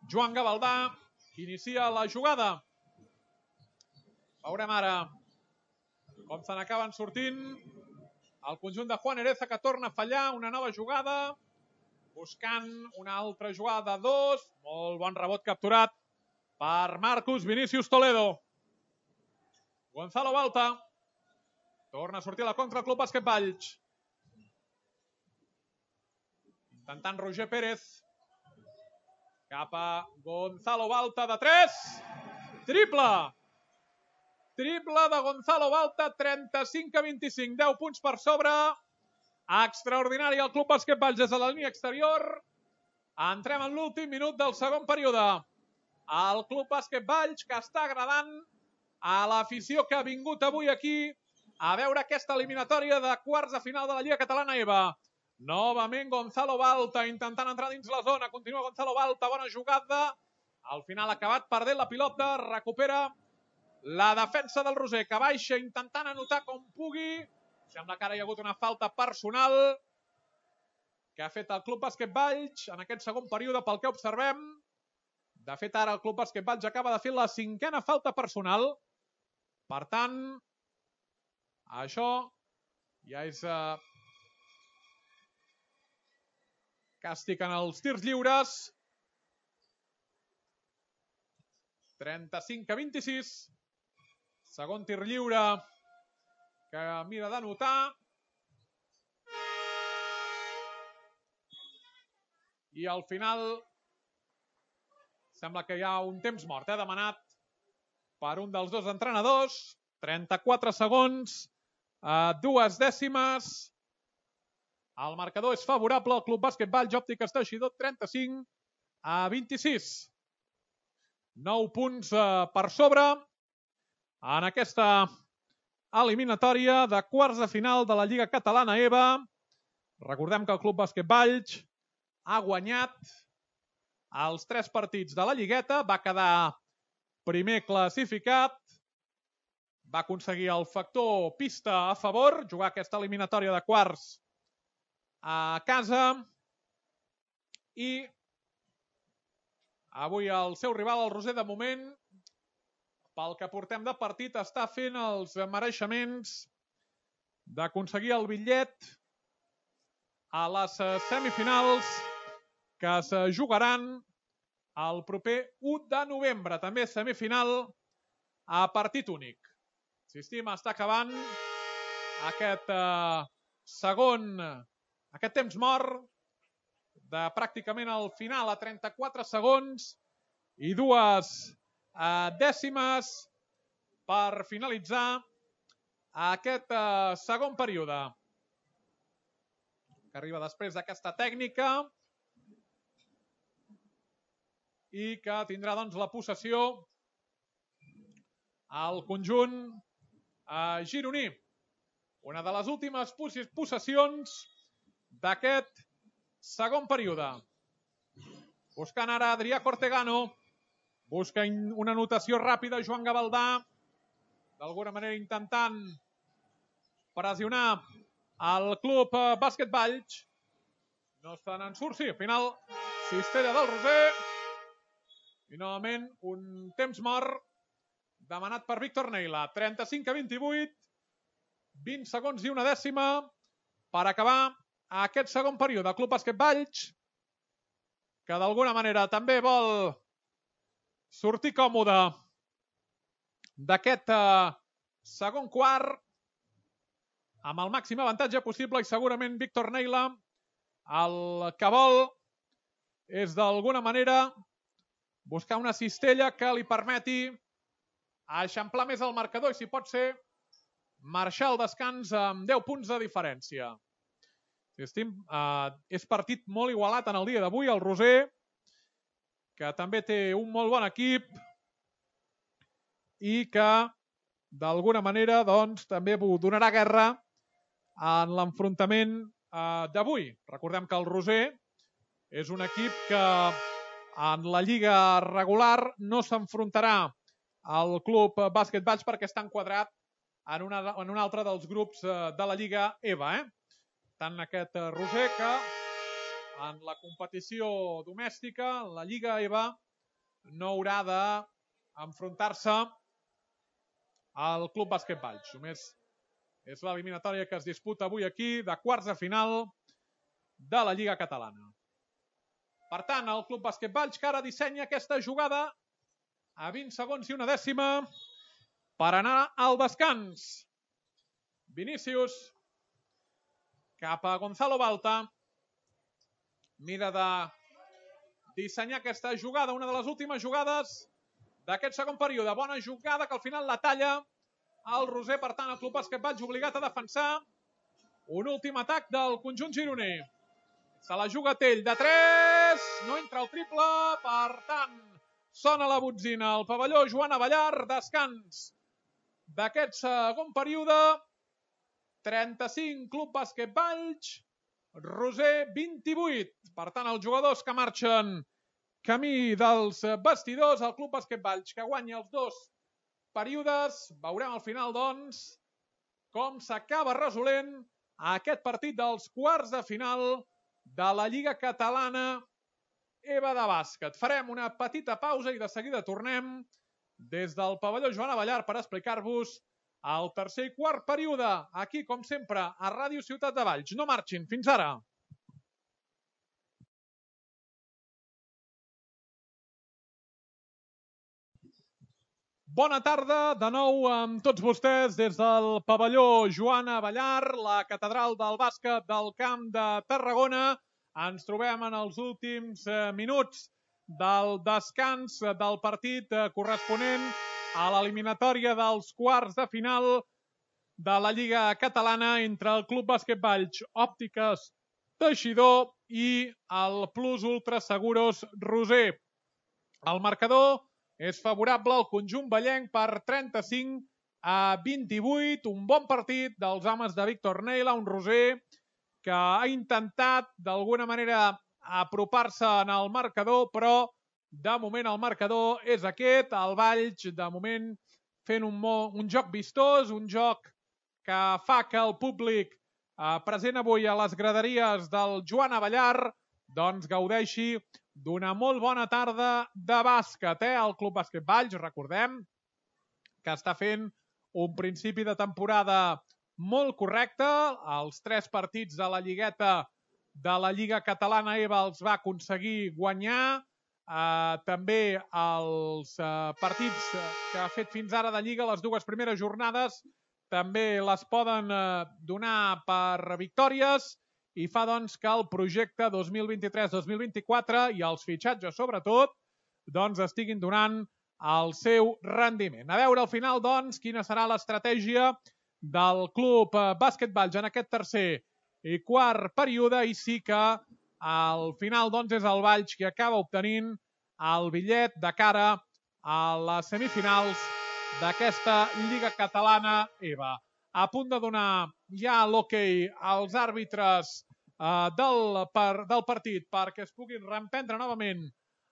Joan Gavaldà, que inicia la jugada. Veurem ara com se n'acaben sortint. El conjunt de Juan Ereza, que torna a fallar, una nova jugada. Buscant una altra jugada de dos. Molt bon rebot capturat per Marcus Vinícius Toledo. Gonzalo Balta. Torna a sortir a la contra el Club Bàsquet Valls. Intentant Roger Pérez. Cap a Gonzalo Balta de tres. Triple. Triple de Gonzalo Balta, trenta-cinc a vint-i-cinc. deu punts per sobre. Extraordinari el Club Bàsquet Valls des de la línia exterior. Entrem en l'últim minut del segon període. El Club Bàsquet Valls, que està agradant a l'afició que ha vingut avui aquí a veure aquesta eliminatòria de quarts de final de la Lliga Catalana EVA. Novament Gonzalo Balta intentant entrar dins la zona. Continua Gonzalo Balta, bona jugada. Al final ha acabat perdent la pilota. Recupera la defensa del Roser, que baixa intentant anotar com pugui. Sembla que ara hi ha hagut una falta personal que ha fet el Club Bàsquet Valls en aquest segon període, pel que observem. De fet, ara el Club Bàsquet Valls acaba de fer la cinquena falta personal. Per tant, això ja és eh, càstig en els tirs lliures. trenta-cinc a vint-i-sis. Segon tir lliure que mira d'anotar. I al final sembla que hi ha un temps mort, eh, demanat per un dels dos entrenadors. trenta-quatre segons, eh, dues dècimes. El marcador és favorable al Club Bàsquet Valls Òptiques Teixidor, trenta-cinc a vint-i-sis. nou punts eh, per sobre en aquesta eliminatòria de quarts de final de la Lliga Catalana EVA. Recordem que el Club Bàsquet Valls ha guanyat els tres partits de la Lligueta, va quedar primer classificat, va aconseguir el factor pista a favor, jugar aquesta eliminatòria de quarts a casa, i avui el seu rival, el Roser, de moment, pel que portem de partit, està fent els mereixements d'aconseguir el bitllet a les semifinals que es jugaran el proper u de novembre. També semifinal a partit únic. Insistim, està acabant aquest eh, segon, aquest temps mort de pràcticament al final, a trenta-quatre segons i dues eh, dècimes per finalitzar aquest eh, segon període, que arriba després d'aquesta tècnica i que tindrà doncs la possessió al conjunt eh, gironí. Una de les últimes possessions d'aquest segon període. Buscant ara Adrià Cortegano. Busca una anotació ràpida Joan Gavaldà. D'alguna manera intentant pressionar el club bàsquet Valls. No estan en surt, sí, al final cistella del Roser. I novament un temps mort demanat per Víctor Neila. trenta-cinc a vint-i-vuit. vint segons i una dècima per acabar aquest segon període. Club bàsquet Valls, que d'alguna manera també vol sortir còmode d'aquest eh, segon quart amb el màxim avantatge possible, i segurament Víctor Neila el que vol és d'alguna manera buscar una cistella que li permeti eixamplar més el marcador i, si pot ser, marxar al descans amb deu punts de diferència. Estim, eh, és partit molt igualat en el dia d'avui. El Roser, que també té un molt bon equip i que d'alguna manera doncs, també donarà guerra en l'enfrontament eh, d'avui. Recordem que el Roser és un equip que en la lliga regular no s'enfrontarà al club bàsquet Valls perquè està enquadrat en, una, en un altre dels grups de la lliga EVA. Eh? Tant aquest Roser que en la competició domèstica, la lliga EVA, no haurà d'enfrontar-se al club bàsquet Valls. Només és l'eliminatòria que es disputa avui aquí de quarts de final de la lliga catalana. Per tant, el club bàsquet Valls que ara dissenya aquesta jugada a vint segons i una dècima per anar al descans. Vinícius cap a Gonzalo Balta. Mira de dissenyar aquesta jugada, una de les últimes jugades d'aquest segon període. Bona jugada que al final la talla el Roser. Per tant, el club bàsquet Valls obligat a defensar. Un últim atac del conjunt gironer. Se la juga Tell de tres. No entra el triple. Per tant, sona la botzina al pavelló Joan Abellar. Descans d'aquest segon període. trenta-cinc, club bàsquet Valls. Roser, vint-i-vuit. Per tant, els jugadors que marxen camí dels vestidors, el club bàsquet Valls que guanya els dos períodes. Veurem al final, doncs, com s'acaba resolent aquest partit dels quarts de final de la Lliga Catalana EVA de bàsquet. Farem una petita pausa i de seguida tornem des del pavelló Joan Abellar per explicar-vos el tercer i quart període, aquí, com sempre, a Ràdio Ciutat de Valls. No marxin, fins ara. Bona tarda, de nou amb tots vostès des del pavelló Joan Abellar, la catedral del bàsquet del Camp de Tarragona. Ens trobem en els últims minuts del descans del partit corresponent a l'eliminatòria dels quarts de final de la Lliga Catalana entre el Club Bàsquet Valls Òptiques Teixidor i el Plus Ultra Seguros Roser. El marcador és favorable al conjunt vallenc per trenta-cinc a vint-i-vuit. Un bon partit dels homes de Víctor Neila, un Roser que ha intentat d'alguna manera apropar-se en el marcador, però de moment el marcador és aquest. El Valls, de moment, fent un, un joc vistós, un joc que fa que el públic eh, present avui a les graderies del Joan Abellar doncs gaudeixi d'una molt bona tarda de bàsquet. Eh? El Club Bàsquet Valls, recordem, que està fent un principi de temporada molt correcte. Els tres partits de la lligueta de la Lliga Catalana EVA els va aconseguir guanyar. Uh, també els uh, partits que ha fet fins ara de Lliga, les dues primeres jornades, també les poden uh, donar per victòries i fa doncs que el projecte dos mil vint-i-tres dos mil vint-i-quatre i els fitxatges sobretot doncs estiguin donant el seu rendiment. A veure al final doncs quina serà l'estratègia del Club Bàsquet Valls en aquest tercer i quart període, i sí que al final doncs és el Valls qui acaba obtenint el bitllet de cara a les semifinals d'aquesta Lliga Catalana EVA. a punt de donar ja l'hoquei als àrbitres eh, del, per, del partit perquè es puguin reemprendre novament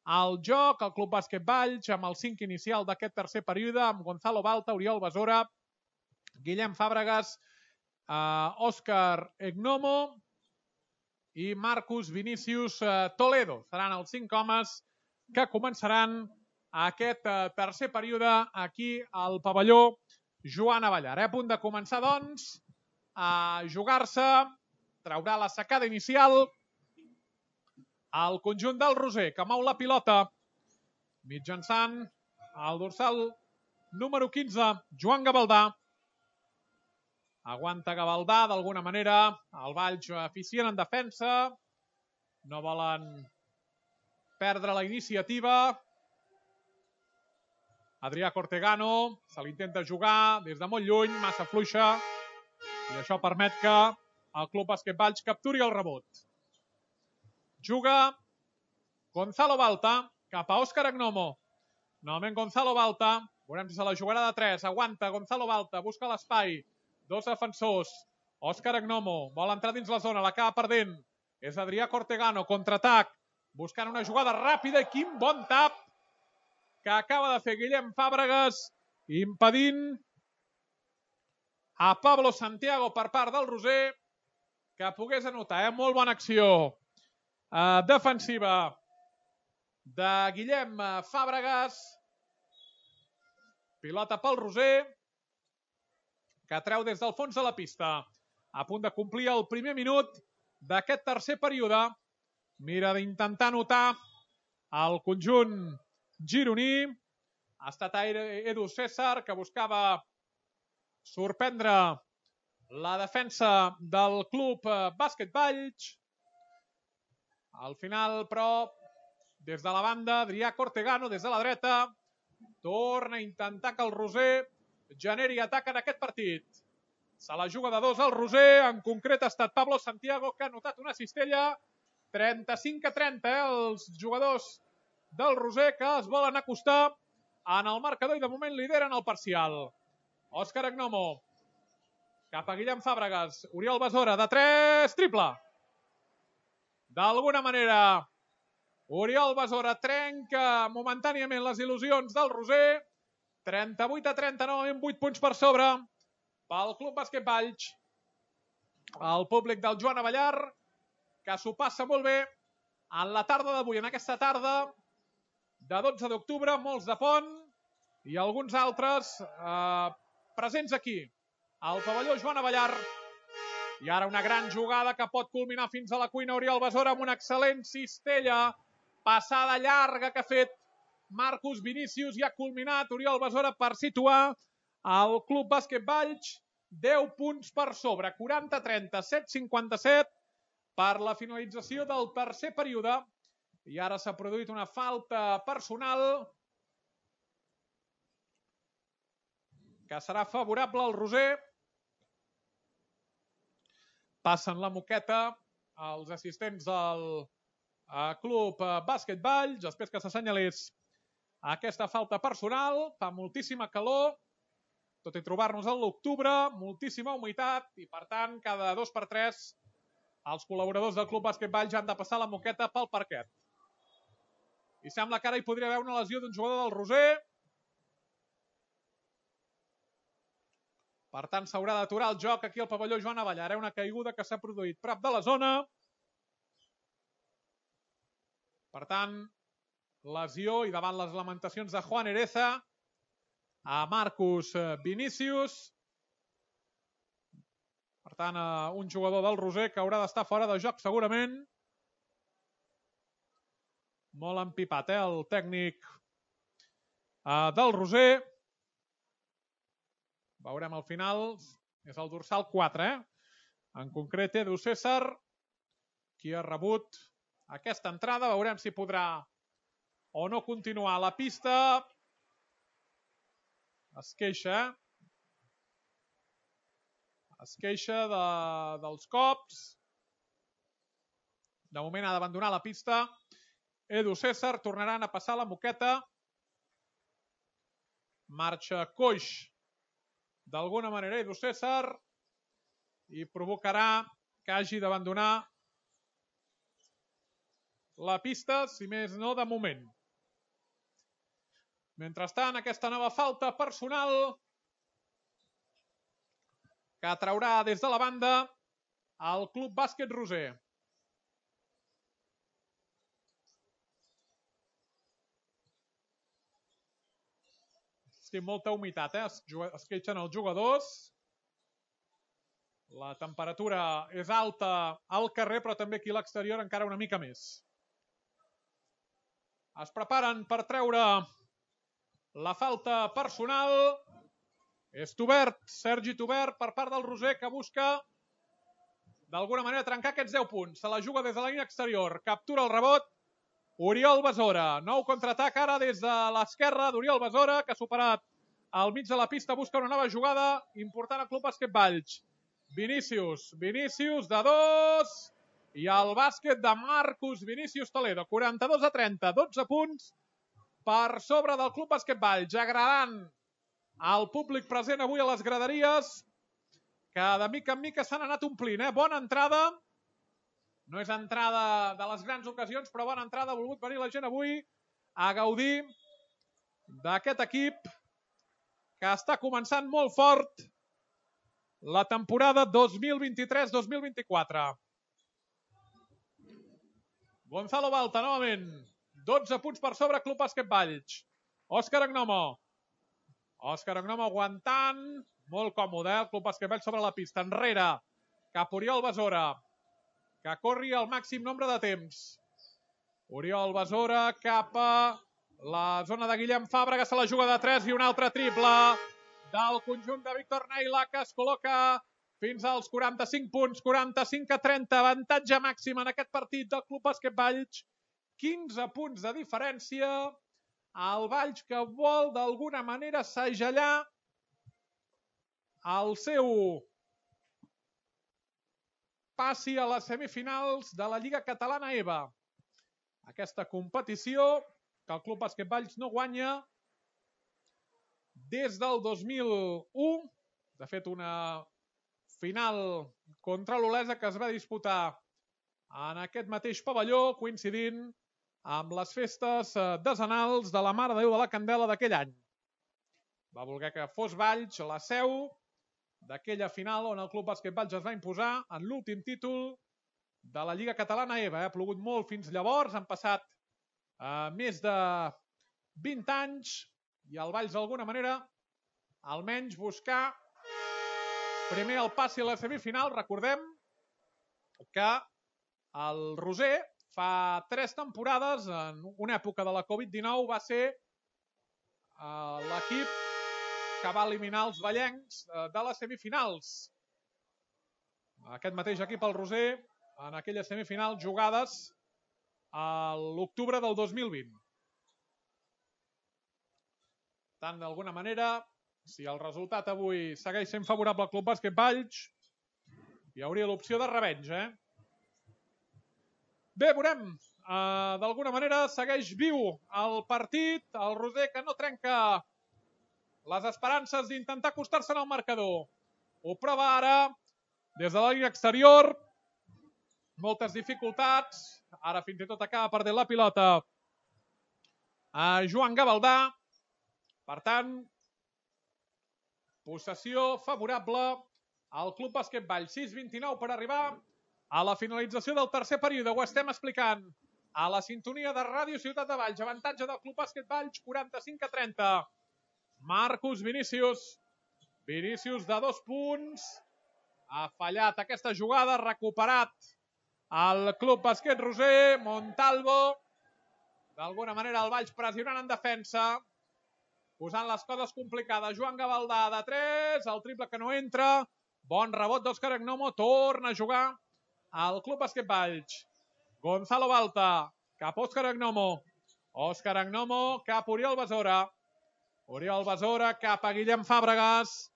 el joc, el Club Bàsquet Valls, amb el cinc inicial d'aquest tercer període, amb Gonzalo Balta, Oriol Besora, Guillem Fàbregas, eh, Òscar Egnomo i Marcus Vinícius eh, Toledo. Seran els cinc homes que començaran aquest eh, tercer període aquí al pavelló Joan Avellar. A punt de començar, doncs, a jugar-se, traurà la secada inicial el conjunt del Roser, que mou la pilota mitjançant el dorsal número quinze, Joan Gavaldà. Aguanta Gavaldà d'alguna manera, el Valls eficient en defensa, no volen perdre la iniciativa. Adrià Cortegano se l'intenta jugar des de molt lluny, massa fluixa, i això permet que el Club Bàsquet Valls capturi el rebot. Juga Gonzalo Balta cap a Òscar Egnomo. Novament Gonzalo Balta, veurem si se la jugarà de tres, aguanta Gonzalo Balta, busca l'espai, dos defensors, Òscar Egnomo, vol entrar dins la zona, l'acaba perdent, és Adrià Cortegano, contraatac, buscant una jugada ràpida, i quin bon tap que acaba de fer Guillem Fàbregas, impedint a Pablo Santiago per part del Roser que pogués anotar. Eh? Molt bona acció eh, defensiva de Guillem Fàbregas. Pilota pel Roser, que treu des del fons de la pista. A punt de complir el primer minut d'aquest tercer període. Mira d'intentar anotar el conjunt gironí. Ha estat Edu César, que buscava sorprendre la defensa del Club Bàsquet Valls. Al final, però, des de la banda, Adrià Cortegano, des de la dreta, torna a intentar que el Roser generi atac en aquest partit. Se la juga de dos al Roser, en concret ha estat Pablo Santiago, que ha notat una cistella. trenta-cinc a trenta, eh, els jugadors del Roser que es volen acostar en el marcador i de moment lideren el parcial. Òscar Egnomo cap a Guillem Fàbregas, Oriol Besora de tres, triple. D'alguna manera Oriol Besora trenca momentàniament les il·lusions del Roser. trenta-vuit a trenta, novament vuit punts per sobre pel Club Bàsquet Valls. El públic del Joan Avellar, que s'ho passa molt bé en la tarda d'avui, en aquesta tarda de dotze d'octubre, molts de pont i alguns altres eh, presents aquí, al pavelló Joan Avellar. I ara una gran jugada que pot culminar fins a la cuina. Oriol Besora amb una excel·lent cistella, passada llarga que ha fet Marcus Vinícius, i ha culminat Oriol Besora per situar el Club Bàsquet Valls deu punts per sobre, quaranta a trenta, set cinquanta-set per la finalització del tercer període. I ara s'ha produït una falta personal que serà favorable al Roser. Passen la moqueta els assistents del Club Bàsquet Valls, després que s'assenyalés aquesta falta personal. Fa moltíssima calor, tot i trobar-nos a l'octubre, moltíssima humitat, i per tant, cada dos per tres els col·laboradors del Club Bàsquet Valls han de passar la moqueta pel parquet. I sembla que ara hi podria haver una lesió d'un jugador del Roser. Per tant, s'haurà d'aturar el joc aquí al pavelló Joan Avellar. Una caiguda que s'ha produït prop de la zona. Per tant, lesió, i davant les lamentacions de Juan Ereza, a Marcus Vinícius. Per tant, un jugador del Roser que haurà d'estar fora de joc segurament. Molt empipat, eh, el tècnic eh, del Roser. Veurem al final, és el dorsal quatre, eh? En concret, Edu César, qui ha rebut aquesta entrada. Veurem si podrà o no continuar a la pista. Es queixa, eh? Es queixa de, dels cops. De moment ha d'abandonar la pista. Edu César, tornaran a passar la moqueta. Marxa coix d'alguna manera Edu César i provocarà que hagi d'abandonar la pista, si més no de moment. Mentrestant, aquesta nova falta personal que traurà des de la banda el Club Bàsquet Roser. Sí, molta humitat, eh? Es queixen els jugadors. La temperatura és alta al carrer, però també aquí a l'exterior encara una mica més. Es preparen per treure la falta personal. És Tubert, Sergi Tubert, per part del Roser, que busca d'alguna manera trencar aquests deu punts. Se la juga des de la línia exterior. Captura el rebot Oriol Besora. Nou contraatac ara des de l'esquerra d'Oriol Besora, que ha superat al mig de la pista, busca una nova jugada important al Club Bàsquet Valls. Vinícius, Vinícius de dos, i el bàsquet de Marcus Vinícius Toledo, quaranta-dos a trenta, dotze punts per sobre del Club Bàsquet Valls, agradant al públic present avui a les graderies, que de mica en mica s'han anat omplint. Eh? Bona entrada, no és entrada de les grans ocasions, però bona entrada, ha volgut venir la gent avui a gaudir d'aquest equip que està començant molt fort la temporada dos mil vint-i-tres dos mil vint-i-quatre. Gonzalo Balta, novament. dotze punts per sobre, Club Bàsquet Valls. Òscar Agnomo. Òscar Agnomo aguantant. Molt còmode, eh? El Club Bàsquet Valls sobre la pista. Enrere, cap Oriol Besora, que corri el màxim nombre de temps. Oriol Besora cap a la zona de Guillem Fàbrega, se la juga de tres i un altre triple del conjunt de Víctor Neila, que es col·loca fins als quaranta-cinc punts, quaranta-cinc a trenta, avantatge màxim en aquest partit del Club Bàsquet Valls, quinze punts de diferència, el Valls que vol d'alguna manera segellar el seu passi a les semifinals de la Lliga Catalana EVA. Aquesta competició que el Club Bàsquet Valls no guanya des del dos mil u, de fet una final contra l'Olesa que es va disputar en aquest mateix pavelló, coincidint amb les festes decenals de la Mare de Déu de la Candela d'aquell any. Va voler que fos Valls la seu d'aquella final on el Club Bàsquet Valls es va imposar en l'últim títol de la Lliga Catalana EVA. Ha plogut molt fins llavors, han passat eh, més de vint anys i el Valls d'alguna manera almenys buscar primer el passi a la semifinal. Recordem que el Roser fa tres temporades, en una època de la Covid dinou, va ser eh, l'equip que va eliminar els vallencs eh, de les semifinals. Aquest mateix equip, el Roser, en aquelles semifinals jugades a l'octubre del dos mil vint. Tant, d'alguna manera, si el resultat avui segueix sent favorable al Club Bàsquet Valls, hi hauria l'opció de revenja, eh? Bé, veurem. Uh, d'alguna manera segueix viu el partit. El Roser que no trenca les esperances d'intentar acostar-se al marcador. Ho prova ara des de la línia exterior. Moltes dificultats. Ara fins i tot acaba perdent la pilota a Joan Gavaldà. Per tant, possessió favorable al Club Bàsquet Valls. sis vint-i-nou per arribar a la finalització del tercer període. Ho estem explicant a la sintonia de Ràdio Ciutat de Valls. Avantatge del Club Bàsquet Valls, quaranta-cinc a trenta. Marcus Vinícius. Vinícius de dos punts. Ha fallat aquesta jugada, recuperat el Club Bàsquet Roser. Montalvo. D'alguna manera el Valls pressionant en defensa, posant les coses complicades. Joan Gavaldà de tres, el triple que no entra. Bon rebot d'Òscar Agnomo, torna a jugar al Club Bàsquet Valls. Gonzalo Balta, cap Òscar Agnomo. Òscar Agnomo, cap Oriol Besora. Oriol Besora, cap a Guillem Fàbregas.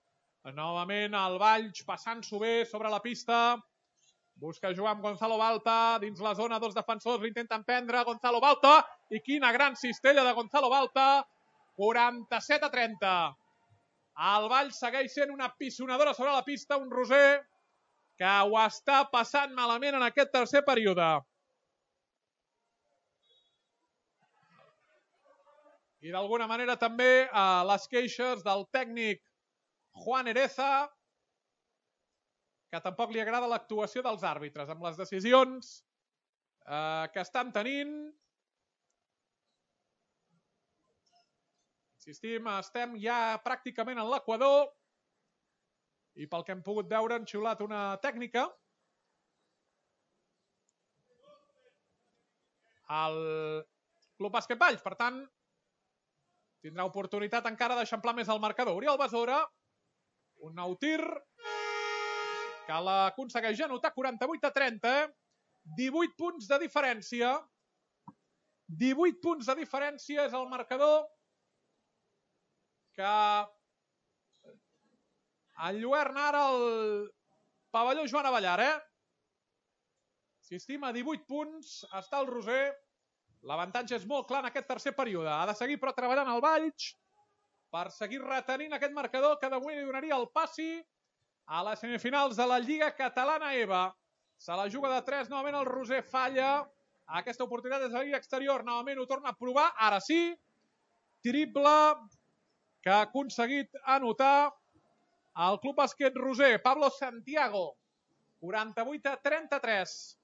Novament el Valls passant-s'ho bé sobre la pista. Busca jugar amb Gonzalo Balta dins la zona, dos defensors l'intenten prendre. Gonzalo Balta, i quina gran cistella de Gonzalo Balta. quaranta-set a trenta. El Vall segueix sent una pissonadora sobre la pista, un Roser que ho està passant malament en aquest tercer període. I d'alguna manera també eh, les queixes del tècnic Juan Ereza, que tampoc li agrada l'actuació dels àrbitres amb les decisions eh, que estan tenint. Insistim, estem ja pràcticament en l'equador i pel que hem pogut veure han xiulat una tècnica. El Club Bàsquet Valls, per tant, tindrà oportunitat encara d'eixamplar més el marcador. Oriol Besora, un nou tir que l'aconsegueix anotar quaranta-vuit a trenta, divuit punts de diferència. divuit punts de diferència és el marcador que enlluerna ara el pavelló Joan Avellar, eh? S'estima divuit punts, està el Roser. L'avantatge és molt clar en aquest tercer període. Ha de seguir però treballant el Valls per seguir retenint aquest marcador que d'avui li donaria el passi a les semifinals de la Lliga Catalana E B A. Se la juga de tres, novament el Roser falla. Aquesta oportunitat és a la exterior, novament ho torna a provar, ara sí. Triple que ha aconseguit anotar el Club Bàsquet Roser. Pablo Santiago, quaranta-vuit a trenta-tres.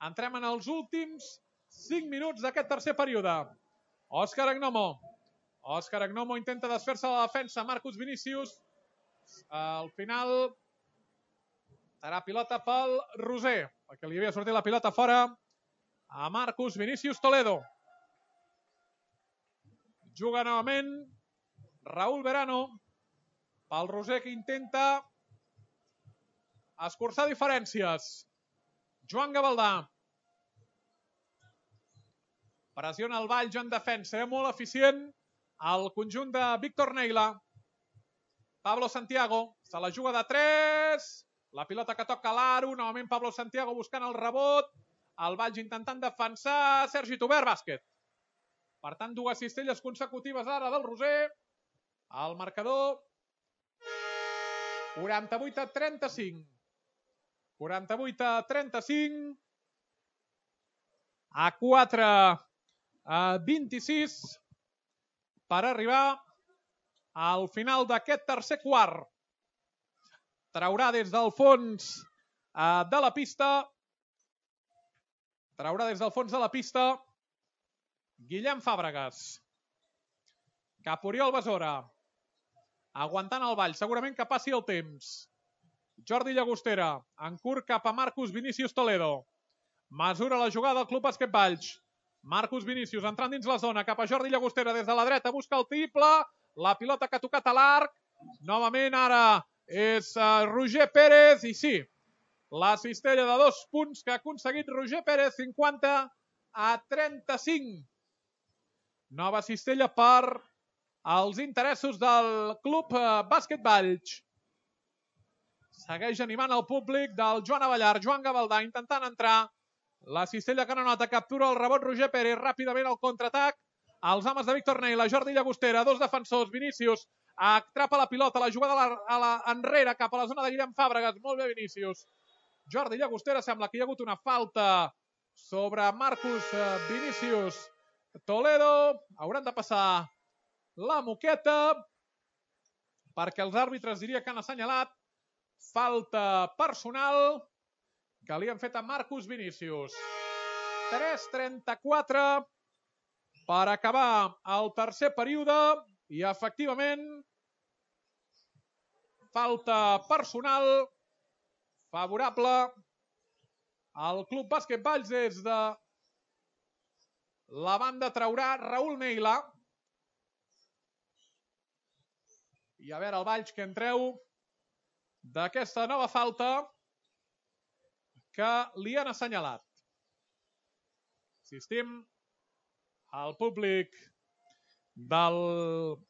Entrem en els últims cinc minuts d'aquest tercer període. Òscar Agnomo. Òscar Agnomo intenta desfer-se de la defensa. Marcus Vinícius. Al final serà pilota pel Roser, perquè li havia sortit la pilota fora a Marcus Vinícius Toledo. Juga novament Raúl Verano pel Roser, que intenta escurçar diferències. Joan Gavaldà. Pressiona el Valls en defensa, eh? Molt eficient el conjunt de Víctor Neila. Pablo Santiago se la juga de tres. La pilota que toca l'aro. Novament Pablo Santiago buscant el rebot. El Valls intentant defensar. Sergi Tobert, bàsquet. Per tant, dues cistelles consecutives ara del Roser. El marcador quaranta-vuit a trenta-cinc. quaranta-vuit a trenta-cinc. A quatre a vint-i-sis per arribar al final d'aquest tercer quart. Traurà des del fons de la pista. Traurà des del fons de la pista Guillem Fàbregas. Cap Oriol Besora. Aguantant el Vall, segurament que passi el temps. Jordi Llagostera, en curt cap a Marcus Vinícius Toledo. Mesura la jugada del Club Bàsquet Valls. Marcus Vinícius entrant dins la zona, cap a Jordi Llagostera des de la dreta, busca el triple. La pilota que ha tocat a l'arc. Novament ara és uh, Roger Pérez, i sí, la cistella de dos punts que ha aconseguit Roger Pérez, cinquanta a trenta-cinc. Nova cistella per als interessos del Club Bàsquet Valls. Segueix animant el públic del Joan Avellar. Joan Gavaldà intentant entrar. La cistella que no nota, captura el rebot Roger Pérez. Ràpidament el contraatac. Els homes de Víctor Neila, Jordi Llagostera, dos defensors. Vinícius atrapa la pilota, la jugada a la, a la enrere cap a la zona de Guillem Fàbregas. Molt bé Vinícius. Jordi Llagostera, sembla que hi ha hagut una falta sobre Marcus Vinícius Toledo. Hauran de passar la moqueta perquè els àrbitres diria que han assenyalat falta personal que li han fet a Marcus Vinícius. tres trenta-quatre per acabar el tercer període i efectivament falta personal favorable al Club Bàsquet Valls. Des de la banda traurà Raúl Neila. I a veure el Valls que en treu d'aquesta nova falta que li han assenyalat. Insistim, el públic del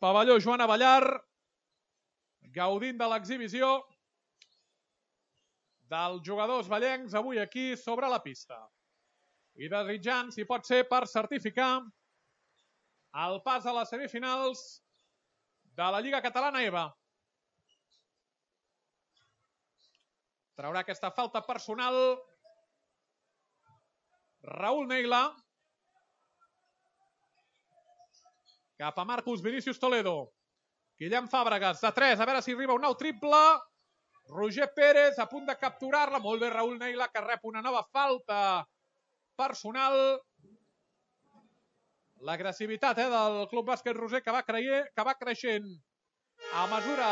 pavelló Joan Avellar gaudint de l'exhibició dels jugadors vallencs avui aquí sobre la pista. I desitjant, si pot ser, per certificar el pas a les semifinals de la Lliga Catalana E B A. Traurà aquesta falta personal Raúl Neila. Cap a Marcus Vinícius Toledo. Guillem Fàbregas, de tres, a veure si arriba un nou triple. Roger Pérez a punt de capturar-la. Molt bé Raúl Neila, que rep una nova falta personal. L'agressivitat eh, del Club Bàsquet Roser que va, creient, que va creixent a mesura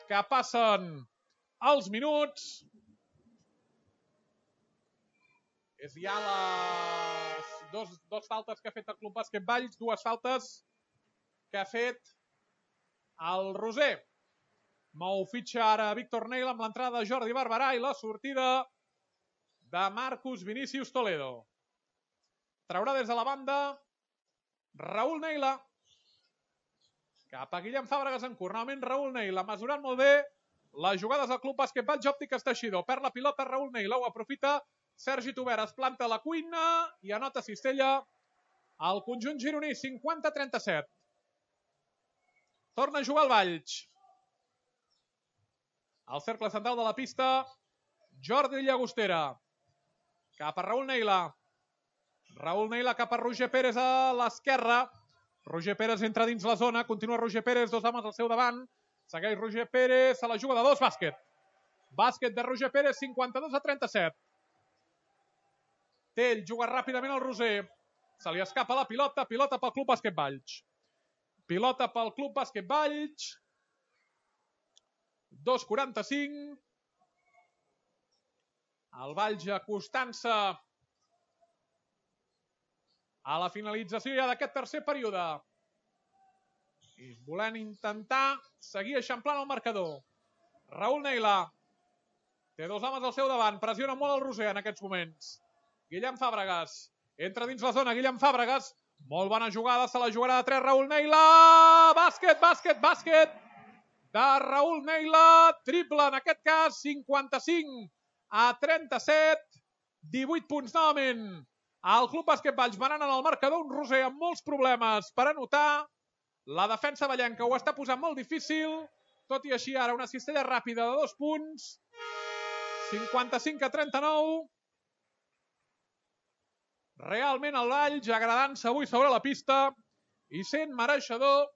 que passen els minuts. És ja les dos, dos faltes que ha fet el Club Bàsquet Valls, dues faltes que ha fet el Roser. Mou fitxa ara Víctor Neila amb l'entrada de Jordi Barberà i la sortida de Marcus Vinícius Toledo. Traurà des de la banda Raúl Neila. Cap a Guillem Fàbregas en curt. Novament Raúl Neila, mesurant molt bé les jugades del Club Bàsquet Valls Òptiques Teixidor. Perd la pilota Raúl Neila, ho aprofita Sergi Tober, es planta a la cuina i anota cistella al conjunt gironí, cinquanta a trenta-set. Torna a jugar el Valls. Al cercle central de la pista, Jordi Llagostera. Cap a Raúl Neila. Raúl Neila cap a Roger Pérez a l'esquerra. Roger Pérez entra dins la zona. Continua Roger Pérez, dos homes al seu davant. Segueix Roger Pérez, a la juga de dos, bàsquet. Bàsquet de Roger Pérez, cinquanta-dos a trenta-set. Tell juga ràpidament al Roser. Se li escapa la pilota. Pilota pel Club Bàsquet Valls. Pilota pel Club Bàsquet Valls. dos quaranta-cinc. El Valls acostant-se a la finalització ja d'aquest tercer període. I volent intentar seguir eixamplant el marcador. Raúl Neila té dos homes al seu davant. Pressiona molt el Roser en aquests moments. Guillem Fàbregas. Entra dins la zona Guillem Fàbregas. Molt bona jugada. Se la jugarà de tres Raúl Neila. Bàsquet, bàsquet, bàsquet de Raúl Neila. Triple en aquest cas. cinquanta-cinc a trenta-set. divuit punts novament. El Club Bàsquet Valls manant en el marcador. Un Roser amb molts problemes per anotar. La defensa vallenca ho està posant molt difícil. Tot i així ara una cistella ràpida de dos punts. cinquanta-cinc a trenta-nou. Realment el Valls agradant-se avui sobre la pista i sent mereixedor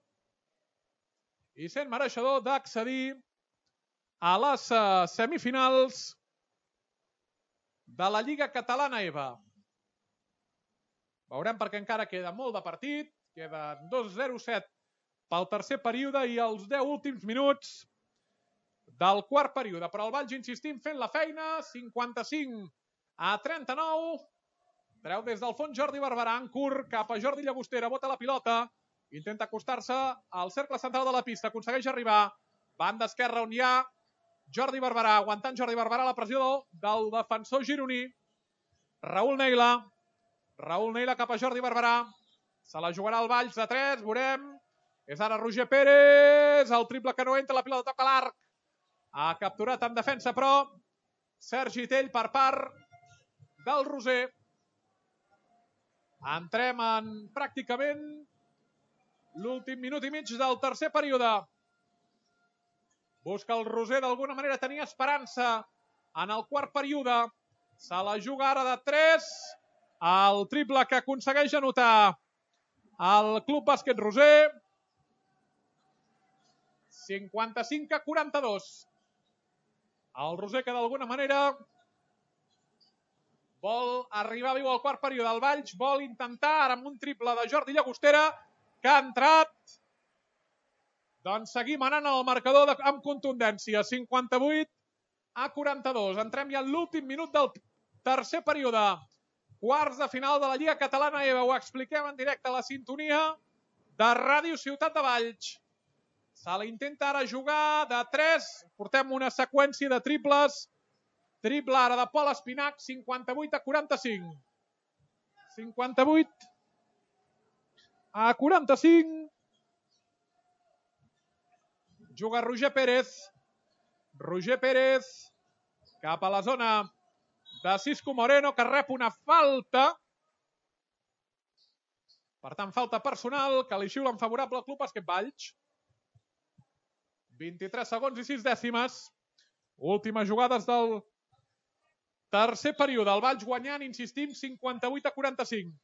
i sent mereixedor d'accedir a les semifinals de la Lliga Catalana E B A. Veurem perquè encara queda molt de partit. Queden dos zero set pel tercer període i els deu últims minuts del quart període. Però el Valls, insistim, fent la feina. cinquanta-cinc a trenta-nou. Treu des del fons Jordi Barberà en curt cap a Jordi Llagostera. Bota la pilota. Intenta acostar-se al cercle central de la pista. Aconsegueix arribar. Banda esquerra on hi ha Jordi Barberà. Aguantant Jordi Barberà la pressió del defensor gironí. Raúl Neila. Raúl Neila cap a Jordi Barberà. Se la jugarà el Valls de tres. Veurem. És ara Roger Pérez. El triple que no entra. La pilota toca l'arc. Ha capturat en defensa, però Sergi Tell per part del Roser. Entrem en pràcticament l'últim minut i mig del tercer període. Busca el Roser d'alguna manera tenir esperança en el quart període. Se la juga ara de tres. El triple que aconsegueix anotar el Club Bàsquet Roser. cinquanta-cinc a quaranta-dos. El Roser que d'alguna manera vol arribar viu al quart període. El Valls vol intentar ara amb un triple de Jordi Llagostera que ha entrat. Doncs seguim anant al marcador de, amb contundència. cinquanta-vuit a quaranta-dos. Entrem ja en l'últim minut del tercer període. Quarts de final de la Lliga Catalana E B A. Ho expliquem en directe a la sintonia de Ràdio Ciutat de Valls. Se la intenta ara jugar de tres. Portem una seqüència de triples. Triple ara de Pol Espinac, cinquanta-vuit a quaranta-cinc. cinquanta-vuit a quaranta-cinc. Juga Roger Pérez. Roger Pérez cap a la zona de Cisco Moreno, que rep una falta. Per tant, falta personal que li xiula en favorable al Club Bàsquet Valls. vint-i-tres segons i sis dècimes. Últimes jugades del tercer període. El Valls guanyant, insistim, cinquanta-vuit a quaranta-cinc.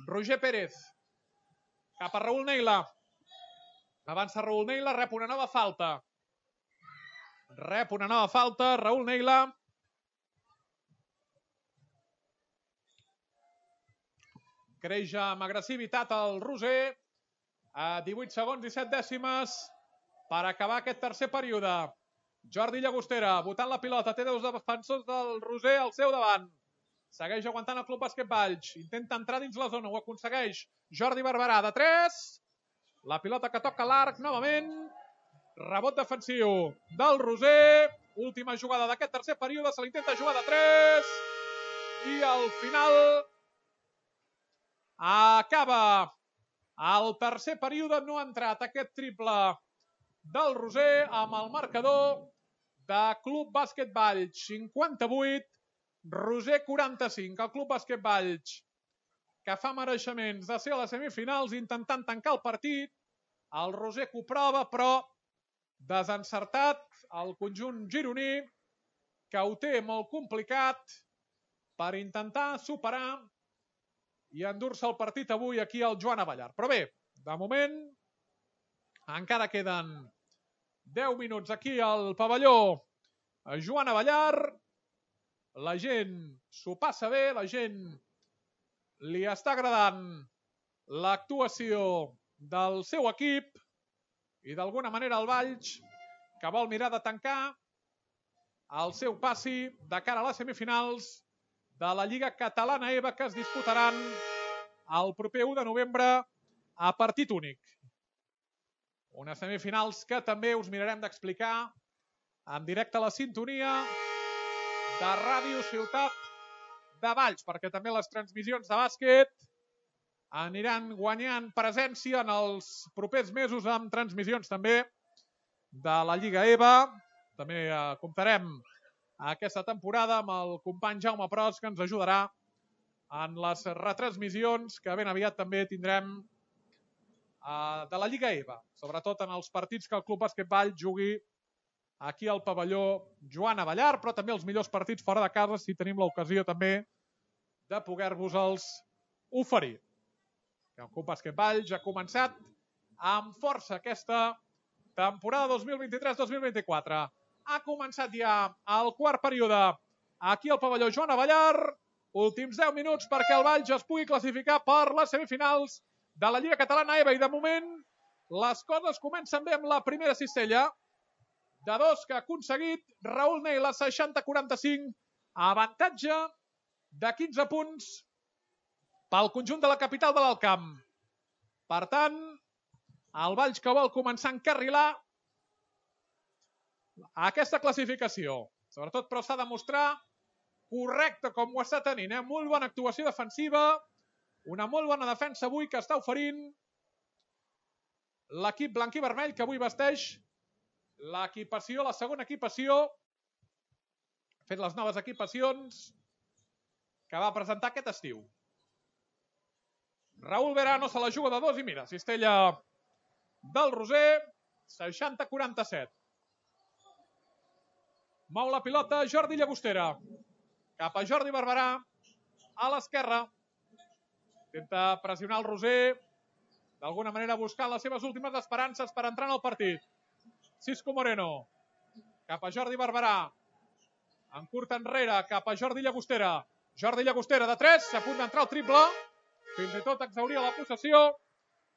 Roger Pérez. Cap a Raül Neila. Avança Raül Neila, rep una nova falta. Rep una nova falta, Raül Neila. Creix amb agressivitat el Roser. A divuit segons i set dècimes per acabar aquest tercer període. Jordi Llagostera, botant la pilota, té dos defensors del Roser al seu davant. Segueix aguantant el Club Bàsquet Valls. Intenta entrar dins la zona, ho aconsegueix. Jordi Barberà, de tres. La pilota que toca l'arc, novament. Rebot defensiu del Roser. Última jugada d'aquest tercer període, se l'intenta jugar de tres. I al final acaba el tercer període. No ha entrat aquest triple del Roser amb el marcador de Club Bàsquet Valls cinquanta-vuit, Roser quaranta-cinc. El Club Bàsquet Valls que fa mereixements de ser a les semifinals intentant tancar el partit. El Roser que ho prova, però desencertat el conjunt gironí, que ho té molt complicat per intentar superar i endur-se el partit avui aquí al Joan Abellar. Però bé, de moment encara queden deu minuts aquí al pavelló Joan Abellar. La gent s'ho passa bé, la gent li està agradant l'actuació del seu equip i d'alguna manera el Valls, que vol mirar de tancar el seu passi de cara a les semifinals de la Lliga Catalana E B A, que es disputaran el proper u de novembre a partit únic. Unes semifinals que també us mirarem d'explicar en directe a la sintonia de Ràdio Ciutat de Valls, perquè també les transmissions de bàsquet aniran guanyant presència en els propers mesos amb transmissions també de la Lliga E B A. També eh, comptarem aquesta temporada amb el company Jaume Pros, que ens ajudarà en les retransmissions que ben aviat també tindrem eh, de la Lliga E B A, sobretot en els partits que el Club Bàsquet Valls jugui aquí al pavelló Joan Abellar, però també els millors partits fora de casa, si tenim l'ocasió també de poder-vos-els oferir. El Club Bàsquet Valls ha començat amb força aquesta temporada dos mil vint-i-tres dos mil vint-i-quatre. Ha començat ja el quart període aquí al pavelló Joan Abellar. Últims deu minuts perquè el Valls es pugui classificar per les semifinals de la Lliga Catalana E B A. I de moment les coses comencen bé amb la primera cistella de dos que ha aconseguit Raül Neila, seixanta a quaranta-cinc, avantatge de quinze punts pel conjunt de la capital de l'Alt Camp. Per tant, el Valls que vol començar a encarrilar aquesta classificació. Sobretot, però, s'ha de mostrar correcte com ho està tenint. Eh? Molt bona actuació defensiva, una molt bona defensa avui que està oferint l'equip blanc i vermell, que avui vesteix l'equipació, la segona equipació, ha fet les noves equipacions que va presentar aquest estiu. Raül Verano se la juga de dos i mira, cistella del Roser, seixanta a quaranta-set. Mou la pilota Jordi Llagostera. Cap a Jordi Barberà, a l'esquerra. Intenta pressionar el Roser, d'alguna manera buscant les seves últimes esperances per entrar en el partit. Cisco Moreno, cap a Jordi Barberà. En curt enrere, cap a Jordi Llagostera. Jordi Llagostera de tres, a punt d'entrar el triple. Fins i tot exhauria la possessió.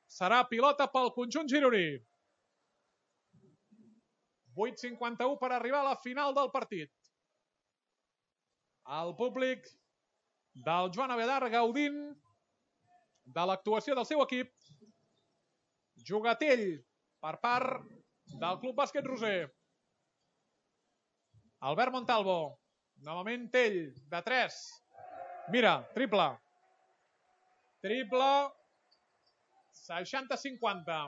Serà pilota pel conjunt gironí. vuit cinquanta-u per arribar a la final del partit. El públic del Joan Abellar gaudint de l'actuació del seu equip. Jugatell per part del Club Bàsquet Roser. Albert Montalvo. Novament Tell, de tres. Mira, triple. Triple. seixanta a cinquanta.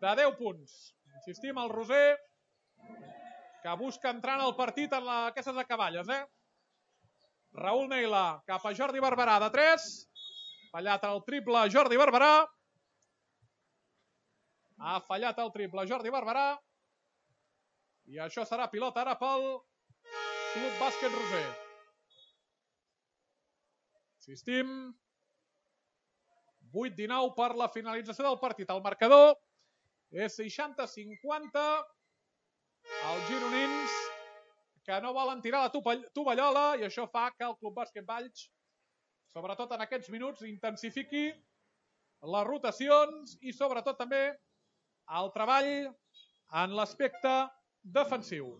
De deu punts. Insistim, el Roser, que busca entrar en el partit en la, aquestes acaballes. Eh? Raül Neila, cap a Jordi Barberà, de tres. Fallat el triple Jordi Barberà. Ha fallat el triple Jordi Barberà. I això serà pilota ara pel Club Bàsquet Roser. Insistim. vuit dinou per la finalització del partit. El marcador és seixanta a cinquanta. Els gironins que no volen tirar la tovallola i això fa que el Club Bàsquet Valls, sobretot en aquests minuts, intensifiqui les rotacions i sobretot també el treball en l'aspecte defensiu.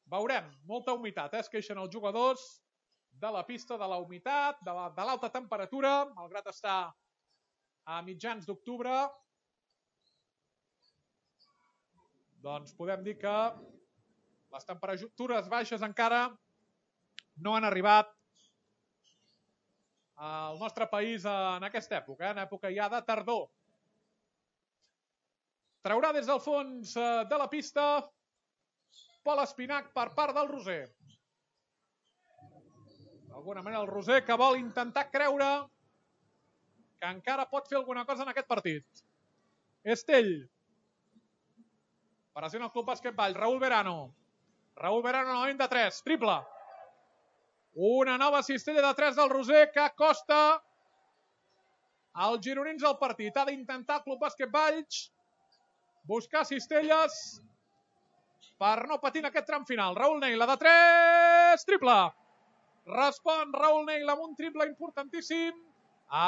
Veurem, molta humitat, eh? Es queixen els jugadors de la pista, de la humitat, de l'alta temperatura, malgrat estar a mitjans d'octubre. Doncs podem dir que les temperatures baixes encara no han arribat al nostre país en aquesta època, en època ja de tardor. Traurà des del fons de la pista Pol Espinac per part del Roser. D'alguna manera el Roser que vol intentar creure que encara pot fer alguna cosa en aquest partit. Estell. Pressiona el Club Bàsquet Valls. Raúl Verano. Raúl Verano novament de tres. Triple. Una nova cistella de tres del Roser que costa als gironins al partit. Ha d'intentar el Club Bàsquet Valls buscar cistelles per no patir en aquest tram final. Raúl Neila de tres. Triple. Respon Raúl Neila amb un triple importantíssim.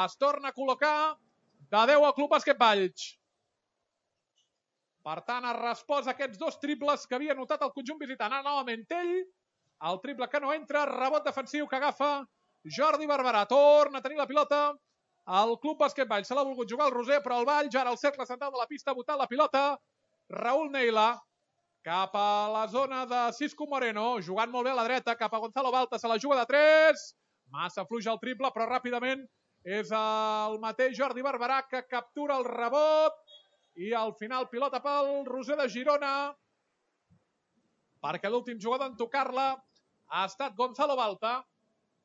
Es torna a col·locar de deu al Club Bàsquet Valls. Per tant, ha respost a aquests dos triples que havia notat el conjunt visitant. Ara novament ell, el triple que no entra, rebot defensiu que agafa Jordi Barberà. Torna a tenir la pilota al Club Bàsquet Valls. Se l'ha volgut jugar el Roser, però el Valls, ara al cercle central de la pista, ha botat la pilota. Raúl Neila cap a la zona de Cisco Moreno, jugant molt bé a la dreta, cap a Gonzalo Balta, se la juga de tres. Massa fluix el triple, però ràpidament és el mateix Jordi Barberà que captura el rebot. I al final pilota pel Roser de Girona, perquè l'últim jugador en tocar-la ha estat Gonzalo Balta.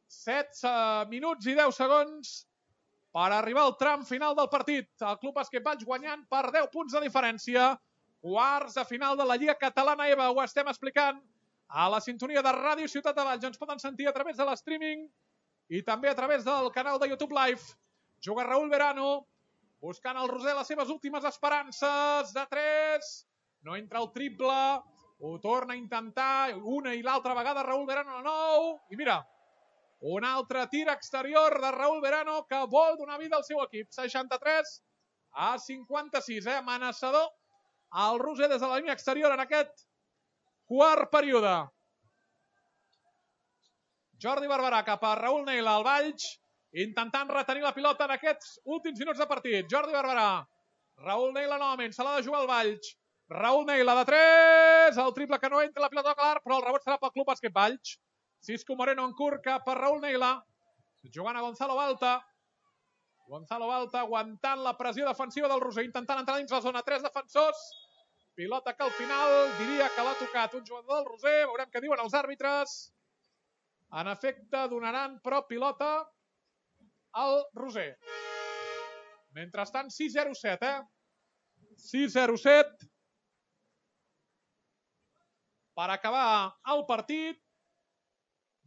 setze minuts i deu segons per arribar al tram final del partit. El Club Bàsquet Valls guanyant per deu punts de diferència. Quarts de final de la Lliga Catalana EVA. Ho estem explicant a la sintonia de Ràdio Ciutat de Valls. Ens poden sentir a través de l'streaming i també a través del canal de YouTube Live. Juga Raúl Verano, buscant el Roser les seves últimes esperances. De tres. No entra el triple. Ho torna a intentar una i l'altra vegada Raúl Verano a nou. I mira, un altre tir exterior de Raúl Verano que vol donar vida al seu equip. seixanta-tres a cinquanta-sis. Eh? Amenaçador el Roser des de la línia exterior en aquest quart període. Jordi Barberà cap a Raúl Neila al Valls, intentant retenir la pilota en aquests últims minuts de partit. Jordi Barberà. Raúl Neila novament, se l'ha de jugar al Valls. Raúl Neila de tres. El triple que no entra la pilota clar, però el rebot serà pel Club Bàsquet Valls. Cisco Moreno en curt cap a Raúl Neila. Jugant a Gonzalo Balta. Gonzalo Balta aguantant la pressió defensiva del Roser, intentant entrar dins la zona. Tres defensors. Pilota que al final diria que l'ha tocat un jugador del Roser. Veurem què diuen els àrbitres. En efecte, donaran però pilota al Roser. Mentrestant, sis zero set, eh? sis zero set. Per acabar el partit.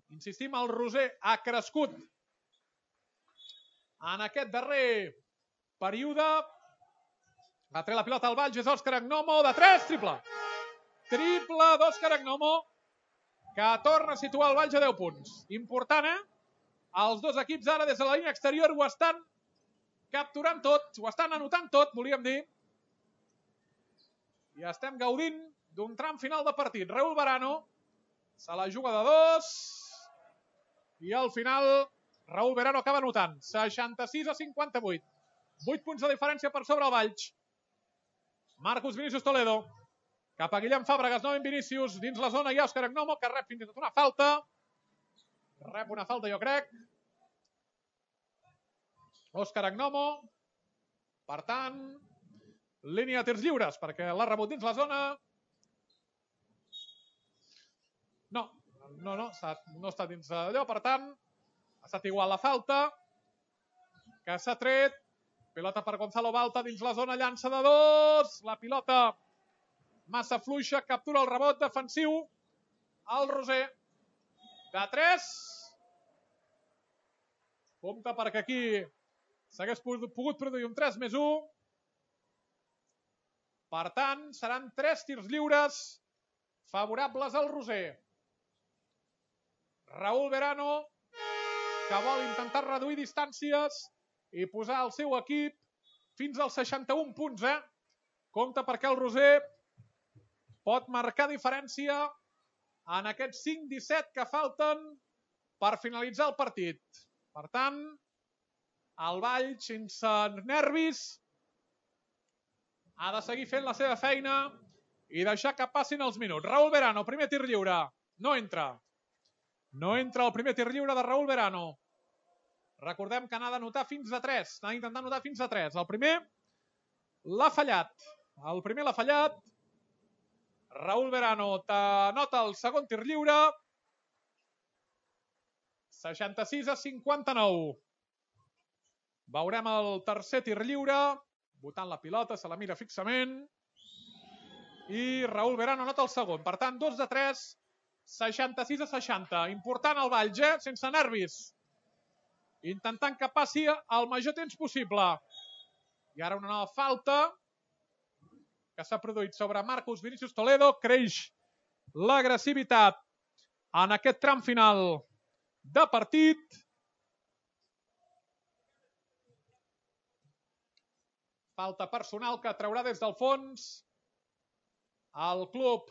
Insistim, el Roser ha crescut en aquest darrer període. Va treure la pilota al Valls, és Òscar Agnomo, de tres, triple. Triple d'Òscar Agnomo, que torna a situar el Valls a deu punts. Important, eh? Els dos equips ara des de la línia exterior ho estan capturant tot, ho estan anotant tot, volíem dir. I estem gaudint d'un tram final de partit. Raúl Verano se la juga de dos. I al final Raúl Verano acaba anotant. seixanta-sis a cinquanta-vuit. vuit punts de diferència per sobre el Valls. Marcus Vinícius Toledo. Cap a Guillem Fàbregas, novament Vinícius. Dins la zona hi ha Òscar Agnomo, que rep fins i tot una falta. Rep una falta, jo crec. Òscar Agnomo. Per tant, línia de tirs lliures, perquè l'ha rebut dins la zona. No, no, no, no està dins allò. Per tant, ha estat igual la falta, que s'ha tret. Pilota per Gonzalo Balta dins la zona, llança de dos. La pilota massa fluixa, captura el rebot defensiu. El Roser. De tres. Compte perquè aquí s'hagués pogut produir un tres més u. Per tant, seran tres tirs lliures favorables al Roser. Raúl Verano, que vol intentar reduir distàncies i posar el seu equip fins als seixanta-un punts. Eh? Compte perquè el Roser pot marcar diferència en aquests cinc disset que falten per finalitzar el partit. Per tant, el Valls, sense nervis, ha de seguir fent la seva feina i deixar que passin els minuts. Raúl Verano, primer tir lliure. No entra. No entra el primer tir lliure de Raúl Verano. Recordem que n'ha d'anotar fins a tres. N'ha d'intentar anotar fins a tres. El primer l'ha fallat. El primer l'ha fallat. Raúl Verano t'anota el segon tir lliure. seixanta-sis a cinquanta-nou. Veurem el tercer tir lliure. Botant la pilota, se la mira fixament. I Raúl Verano anota el segon. Per tant, dos de tres, seixanta-sis a seixanta. Important el Valls, eh? Sense nervis. Intentant que passi el major temps possible. I ara una nova falta que s'ha produït sobre Marcus Vinícius Toledo. Creix l'agressivitat en aquest tram final de partit. Falta personal que traurà des del fons el club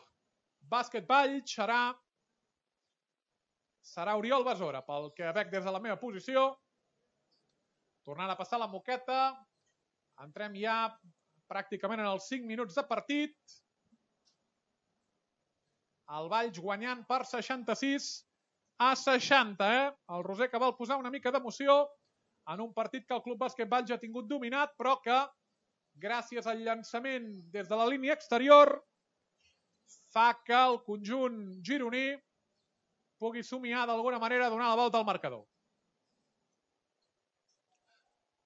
bàsquet Valls. Serà, serà Oriol Besora, pel que veig des de la meva posició. Tornant a passar la moqueta. Entrem ja pràcticament en els cinc minuts de partit. El Valls guanyant per seixanta-sis a seixanta. Eh? El Roser que vol posar una mica d'emoció en un partit que el club bàsquet Valls ha tingut dominat, però que gràcies al llançament des de la línia exterior fa que el conjunt gironí pugui somiar d'alguna manera a donar la volta al marcador.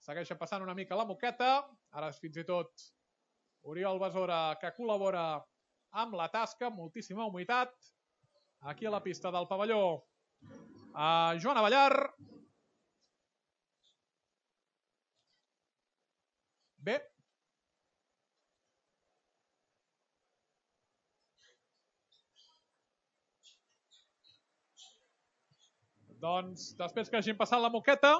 Segueixen passant una mica la moqueta. Ara és fins i tot Oriol Besora que col·labora amb la tasca. Moltíssima humitat. Aquí a la pista del pavelló a Joan Avellar. Bé. Doncs, després que hagin passat la moqueta,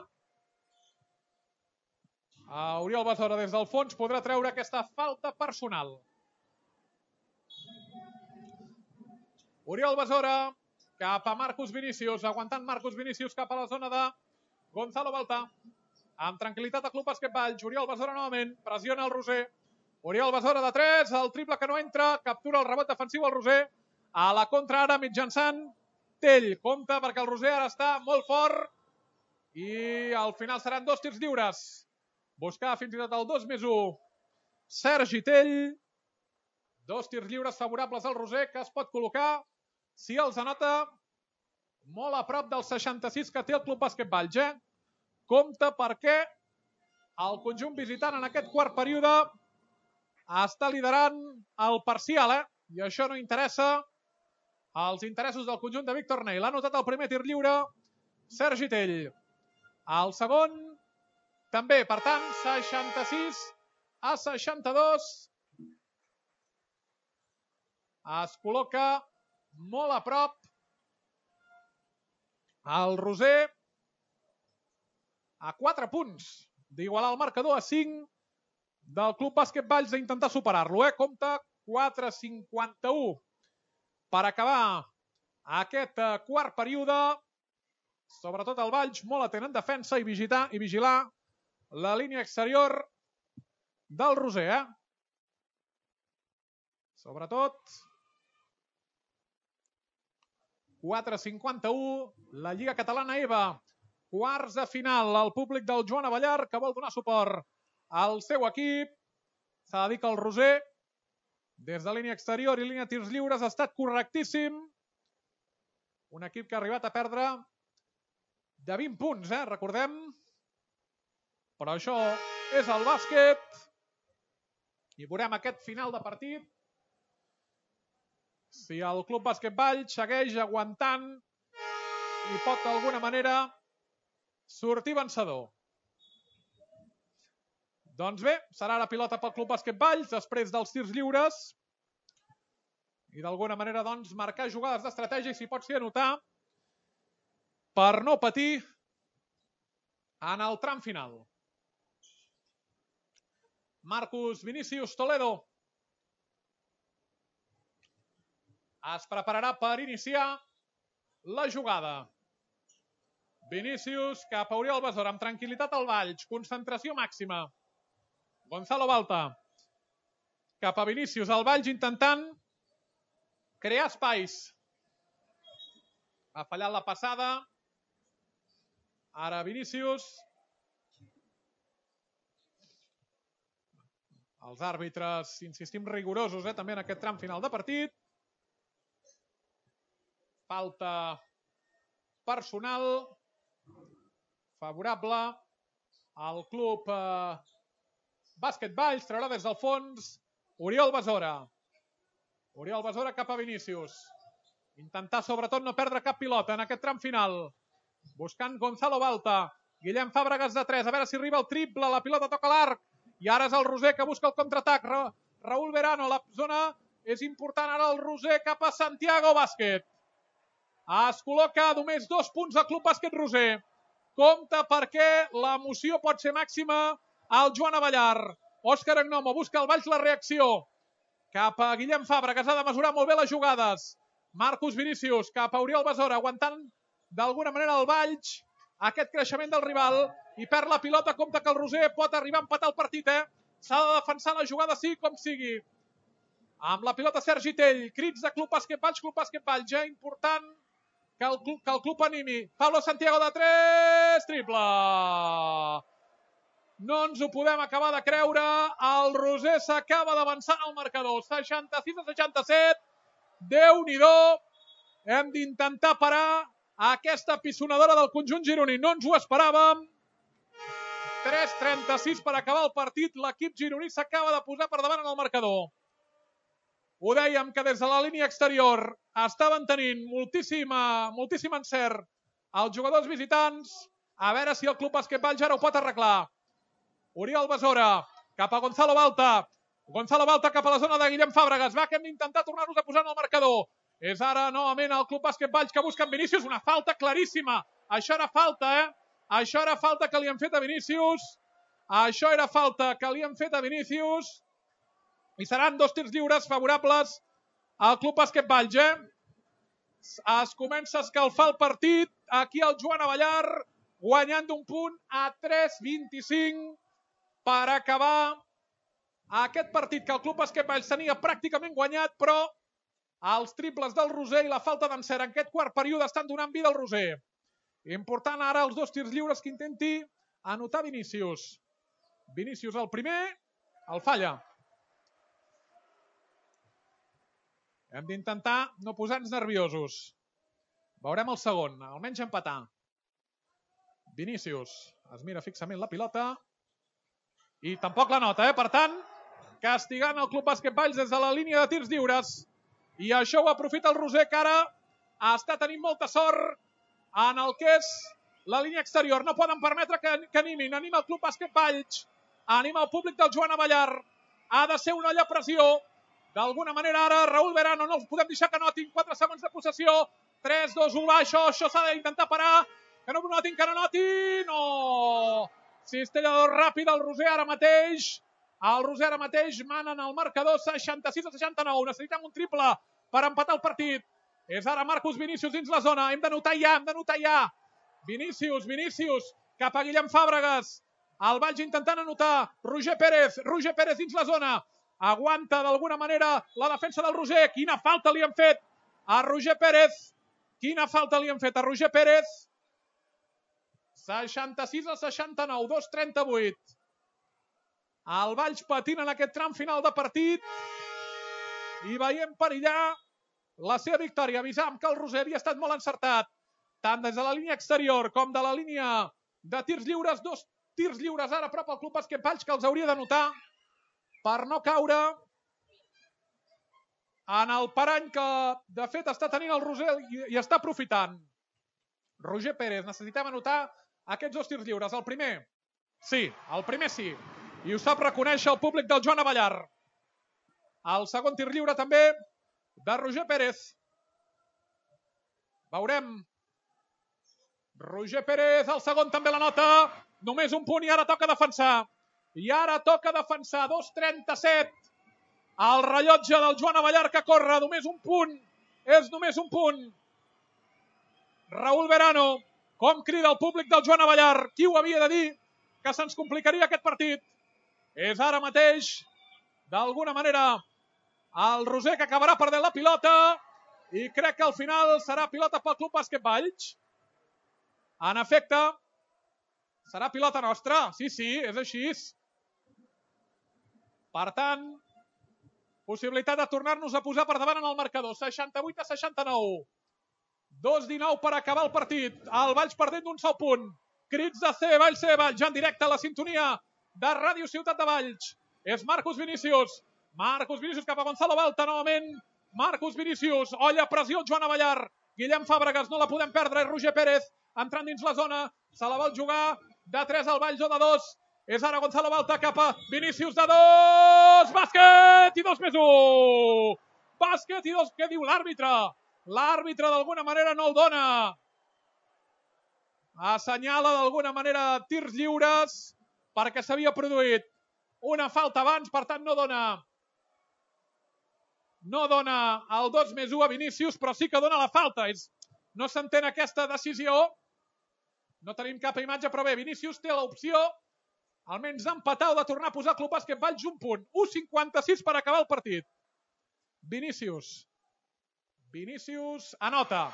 Oriol Besora des del fons podrà treure aquesta falta personal. Oriol Besora cap a Marcus Vinícius, aguantant Marcus Vinícius cap a la zona de Gonzalo Baltà. Amb tranquil·litat el club bàsquet Valls. Oriol Besora novament, pressiona el Roser. Oriol Besora de tres, el triple que no entra, captura el rebot defensiu al Roser. A la contra ara mitjançant Tell. Compte perquè el Roser ara està molt fort i al final seran dos tirs lliures. Buscar fins i tot el dos més u. Sergi Tell. Dos tirs lliures favorables al Roser que es pot col·locar, si els anota, molt a prop del seixanta-sis que té el club bàsquet Valls. Eh? Compte perquè el conjunt visitant en aquest quart període està liderant el parcial. Eh? I això no interessa als interessos del conjunt de Víctor Ney. L'ha anotat el primer tir lliure Sergi Tell. El segon també, per tant, seixanta-sis a seixanta-dos. Es col·loca molt a prop el Roser a quatre punts d'igualar el marcador a cinc del club bàsquet Valls d'intentar superar-lo. Eh? Compte quatre cinquanta-u per acabar aquest quart període. Sobretot el Valls molt atent en defensa i vigilar, i vigilar la línia exterior del Roser. Eh? Sobretot quatre cinquanta-u, la Lliga Catalana E V A, quarts de final. El públic del Joan Avellar que vol donar suport al seu equip. S'ha de dir que el Roser, des de línia exterior i línia tirs lliures, ha estat correctíssim. Un equip que ha arribat a perdre de vint punts, eh? Recordem. Però això és el bàsquet. I veurem aquest final de partit si el Club Bàsquet Valls segueix aguantant i pot d'alguna manera sortir vencedor. Doncs bé, serà la pilota pel Club Bàsquet Valls després dels tirs lliures i d'alguna manera doncs marcar jugades d'estratègia i si pot ser anotar per no patir en el tram final. Marcus Vinícius Toledo es prepararà per iniciar la jugada. Vinícius cap a Oriol Besora amb tranquil·litat al Valls, concentració màxima. Gonzalo Balta cap a Vinícius, el Valls intentant crear espais. Ha fallat la passada. Ara Vinícius. Els àrbitres, insistim, rigorosos eh, també en aquest tram final de partit. Falta personal favorable al club eh, Bàsquet Valls. Traurà des del fons Oriol Besora. Oriol Besora cap a Vinícius. Intentar sobretot no perdre cap pilota en aquest tram final. Buscant Gonzalo Balta. Guillem Fàbregas de tres. A veure si arriba el triple. La pilota toca l'arc. I ara és el Roser que busca el contraatac. Ra Raúl Verano. La zona és important. Ara el Roser cap a Santiago Bàsquet. Es col·loca només dos punts al Club Bàsquet Roser. Compte perquè l'emoció pot ser màxima al Joan Avellar. Òscar Agnomo busca al Valls la reacció. Cap a Guillem Fàbregas. Ha de mesurar molt bé les jugades. Marcus Vinícius cap a Oriol Besora. Aguantant d'alguna manera el Valls aquest creixement del rival i perd la pilota. Compte que el Roser pot arribar a empatar el partit. Eh? S'ha de defensar la jugada sí com sigui. Amb la pilota Sergi Tell. Crits de Club Bàsquet Valls, Club Bàsquet Valls. Ja important que el, club, que el club animi. Pablo Santiago de tres. Triple. No ens ho podem acabar de creure. El Roser s'acaba d'avançar al marcador. seixanta-sis a seixanta-set. Déu-n'hi-do. Hem d'intentar parar aquesta pisonadora del conjunt gironí. No ens ho esperàvem. tres trenta-sis per acabar el partit. L'equip gironí s'acaba de posar per davant en el marcador. Ho dèiem que des de la línia exterior estaven tenint moltíssima, moltíssim encert els jugadors visitants. A veure si el Club Bàsquet Valls ara ho pot arreglar. Oriol Besora cap a Gonzalo Balta. Gonzalo Balta cap a la zona de Guillem Fàbregas. Va, que hem d'intentar tornar-nos a posar en el marcador. És ara novament el Club Bàsquet Valls que busca en Vinícius. Una falta claríssima. Això era falta, eh? Això era falta que li han fet a Vinícius. Això era falta que li han fet a Vinícius. I seran dos tirs lliures favorables al Club Bàsquet Valls, eh? Es comença a escalfar el partit. Aquí el Joan Avellar guanyant d'un punt a tres vint-i-cinc per acabar aquest partit que el Club Bàsquet Valls tenia pràcticament guanyat, però els triples del Roser i la falta d'encert en aquest quart període estan donant vida al Roser. Important ara els dos tirs lliures que intenti anotar Vinícius. Vinícius el primer, el falla. Hem d'intentar no posar-nos nerviosos. Veurem el segon, almenys empatar. Vinícius es mira fixament la pilota i tampoc la nota, eh? Per tant, castigant el Club Bàsquet Valls des de la línia de tirs lliures. I això ho aprofita el Roser, que ara està tenint molta sort en el que és la línia exterior. No poden permetre que, que animin. Anima el Club Bàsquet Valls. Anima el públic del Joan Avellar. Ha de ser una olla pressió. D'alguna manera ara Raúl Verano no els podem deixar que notin. quatre segons de possessió. tres, dos, u, va. Això, això s'ha d'intentar parar. Que no notin, que no notin. No! Cistella ràpid el Roser ara mateix. El Roser ara mateix manen el marcador seixanta-sis a seixanta-nou. Necessitem un triple per empatar el partit. És ara Marcus Vinícius dins la zona. Hem de notar ja, hem de notar ja. Vinícius, Vinícius, cap a Guillem Fàbregas. El Valls intentant anotar. Roger Pérez, Roger Pérez dins la zona. Aguanta d'alguna manera la defensa del Roser. Quina falta li han fet a Roger Pérez. Quina falta li han fet a Roger Pérez. seixanta-sis a seixanta-nou, dos trenta-vuit. El Valls patint en aquest tram final de partit i veiem perillar la seva victòria. Avisam que el Roser havia estat molt encertat, tant des de la línia exterior com de la línia de tirs lliures. Dos tirs lliures ara prop al Club Bàsquet Valls que els hauria de notar per no caure en el parany que de fet està tenint el Roser i està aprofitant. Roger Pérez, necessitem anotar aquests dos tirs lliures. El primer, sí, el primer sí. I ho sap reconèixer el públic del Joan Avellar. El segon tir lliure també de Roger Pérez. Veurem. Roger Pérez, el segon també la nota. Només un punt i ara toca defensar. I ara toca defensar. dos trenta-set. El rellotge del Joan Avellar que corre. Només un punt. És només un punt. Raúl Verano, com crida el públic del Joan Avellar. Qui ho havia de dir que se'ns complicaria aquest partit? És ara mateix, d'alguna manera, el Roser que acabarà perdent la pilota i crec que al final serà pilota pel Club Bàsquet Valls. En efecte, serà pilota nostra. Sí, sí, és així. Per tant, possibilitat de tornar-nos a posar per davant en el marcador. seixanta-vuit a seixanta-nou. dos dinou per acabar el partit. El Valls perdent d'un sol punt. Crits de C, Valls, C, Valls, ja en directe a la sintonia de Ràdio Ciutat de Valls. És Marcus Vinícius. Marcus Vinícius cap a Gonzalo Balta, novament. Marcus Vinícius, olla, pressió, Joan Avellar. Guillem Fàbregas, no la podem perdre. És Roger Pérez, entrant dins la zona. Se la vol jugar de tres al Valls o de dos. És ara Gonzalo Balta cap a Vinícius de dos. Bàsquet i dos més un. Bàsquet i dos. Què diu l'àrbitre? L'àrbitre d'alguna manera no el dona. Assenyala d'alguna manera tirs lliures perquè s'havia produït una falta abans, per tant no dona no dona el dos més u a Vinícius, però sí que dona la falta. No s'entén aquesta decisió. No tenim cap imatge, però bé, Vinícius té l'opció almenys d'empatar o de tornar a posar Club Bàsquet Valls un punt. u cinquanta-sis per acabar el partit. Vinícius. Vinícius anota.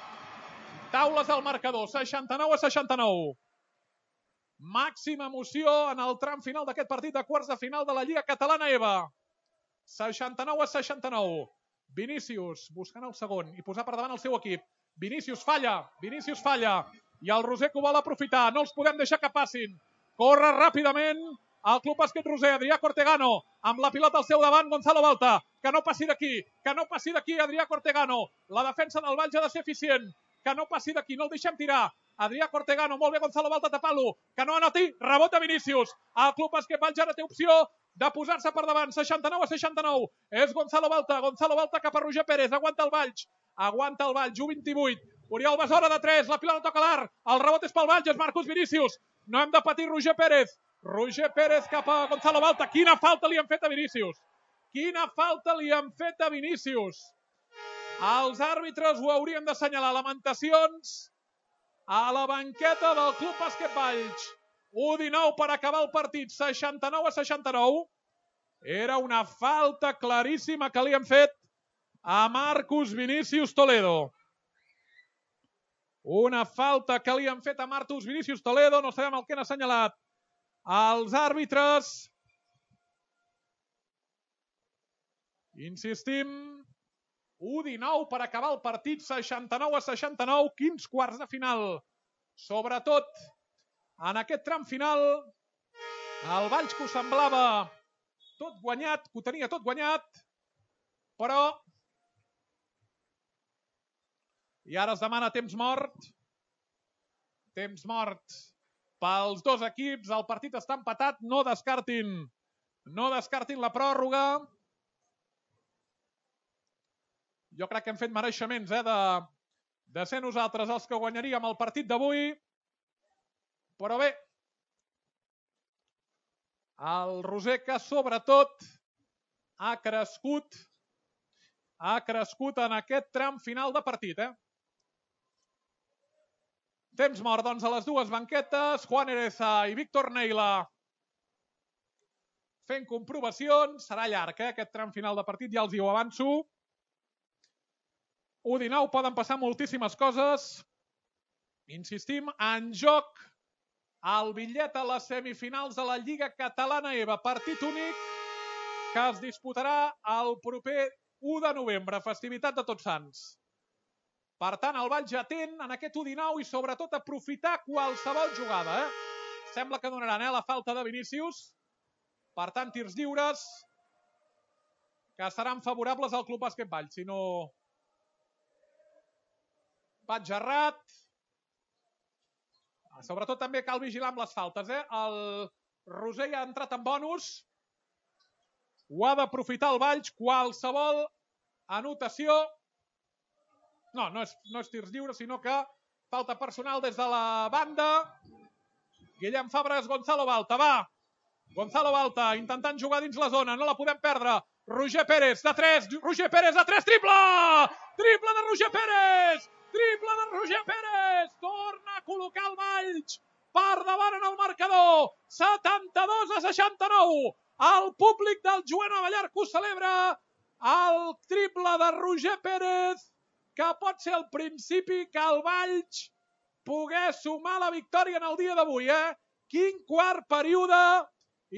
Taules al marcador, seixanta-nou a seixanta-nou. Màxima emoció en el tram final d'aquest partit de quarts de final de la Lliga Catalana E V A. seixanta-nou a seixanta-nou. Vinícius buscant el segon i posar per davant el seu equip. Vinícius falla, Vinícius falla. I el Roser que ho vol aprofitar. No els podem deixar que passin. Corre ràpidament el Club Bàsquet Roser. Adrià Cortegano amb la pilota al seu davant. Gonzalo Balta. Que no passi d'aquí. Que no passi d'aquí Adrià Cortegano. La defensa del Valls ha de ser eficient. Que no passi d'aquí. No el deixem tirar. Adrià Cortegano. Molt bé Gonzalo Balta tapant-lo. Que no anoti. Rebota Vinícius. El Club Bàsquet Valls ara té opció de posar-se per davant. seixanta-nou a seixanta-nou. És Gonzalo Balta. Gonzalo Balta cap a Roger Pérez. Aguanta el Valls. Aguanta el Valls. u vint-i-vuit. Oriol Besora de tres. La pilota toca l'Arc. El rebot és pel Valls. És Marcus Vinícius. No hem de patir Roger Pérez. Roger Pérez cap a Gonzalo Balta. Quina falta li han fet a Vinícius. Quina falta li han fet a Vinícius. Els àrbitres ho haurien d'assenyalar. Lamentacions a la banqueta del Club Bàsquet Valls. u dinou per acabar el partit. seixanta-nou a seixanta-nou. Era una falta claríssima que li han fet a Marcus Vinícius Toledo. Una falta que li han fet a Marcus Vinícius Toledo. No sabem el que han assenyalat els àrbitres. Insistim. u dinou per acabar el partit. seixanta-nou a seixanta-nou. Quins quarts de final. Sobretot en aquest tram final, el Valls que ho semblava tot guanyat, que ho tenia tot guanyat, però i ara es demana temps mort. Temps mort pels dos equips. El partit està empatat. No descartin, no descartin la pròrroga. Jo crec que hem fet mereixements eh, de, de ser nosaltres els que guanyaríem el partit d'avui. Però bé, el Roser que sobretot ha crescut, ha crescut en aquest tram final de partit. Eh? Temps mort, doncs, a les dues banquetes. Juan Ereza i Víctor Neila fent comprovacions. Serà llarg, eh, aquest tram final de partit, ja els hi ho avanço. u dinou, poden passar moltíssimes coses. Insistim, en joc el bitllet a les semifinals de la Lliga Catalana E V A. Partit únic que es disputarà el proper u de novembre, festivitat de Tots Sants. Per tant, el Valls ja atent en aquest u dinou i sobretot aprofitar qualsevol jugada. Eh? Sembla que donaran eh, la falta de Vinícius. Per tant, tirs lliures. que seran favorables al Club Bàsquet Valls. Si no... Pat Gerrat. Sobretot també cal vigilar amb les faltes. Eh? El Roser ja ha entrat en bonus. Ho ha d'aprofitar el Valls. Qualsevol anotació. No, no és, no és tirs lliures, sinó que falta personal des de la banda. Guillem Fàbregas, Gonzalo Balta, va. Gonzalo Balta intentant jugar dins la zona, no la podem perdre. Roger Pérez, de tres, Roger Pérez de tres, triple! Triple de Roger Pérez! Triple de Roger Pérez! Torna a col·locar el Valls per davant en el marcador. setanta-dos a seixanta-nou. El públic del Joan Abellar que ho celebra. El triple de Roger Pérez, que pot ser el principi que el Valls pogués sumar la victòria en el dia d'avui. Eh? Quin quart període.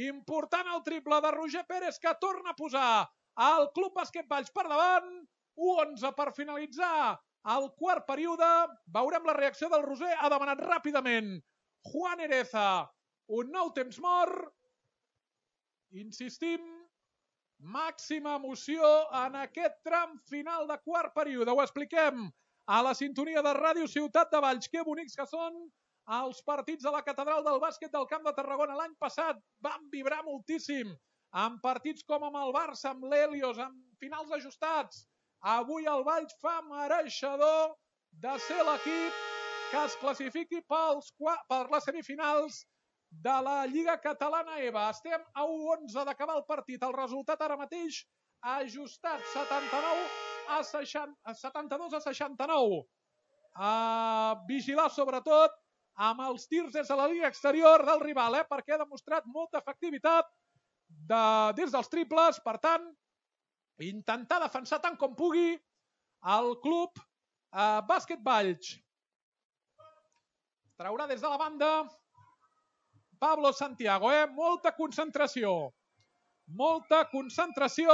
Important el triple de Roger Pérez, que torna a posar el Club Bàsquet Valls per davant. u onze per finalitzar el quart període. Veurem la reacció del Roser. Ha demanat ràpidament Juan Ereza un nou temps mort. Insistim, màxima emoció en aquest tram final de quart període. Ho expliquem a la sintonia de Ràdio Ciutat de Valls. Que bonics que són els partits a la Catedral del Bàsquet del Camp de Tarragona. L'any passat van vibrar moltíssim amb partits com amb el Barça, amb l'Helios, amb finals ajustats. Avui el Valls fa mereixedor de ser l'equip que es classifiqui pels, per les semifinals de la Lliga Catalana E V A. Estem a u onze d'acabar el partit. El resultat ara mateix ajustat setanta-nou a seixanta, setanta-dos a seixanta-nou. A vigilar sobretot amb els tirs des de la línia exterior del rival, eh? Perquè ha demostrat molta efectivitat de, des dels triples. Per tant, intentar defensar tant com pugui el club eh, Bàsquet Valls. Traurà des de la banda Pablo Santiago. Eh? Molta concentració. Molta concentració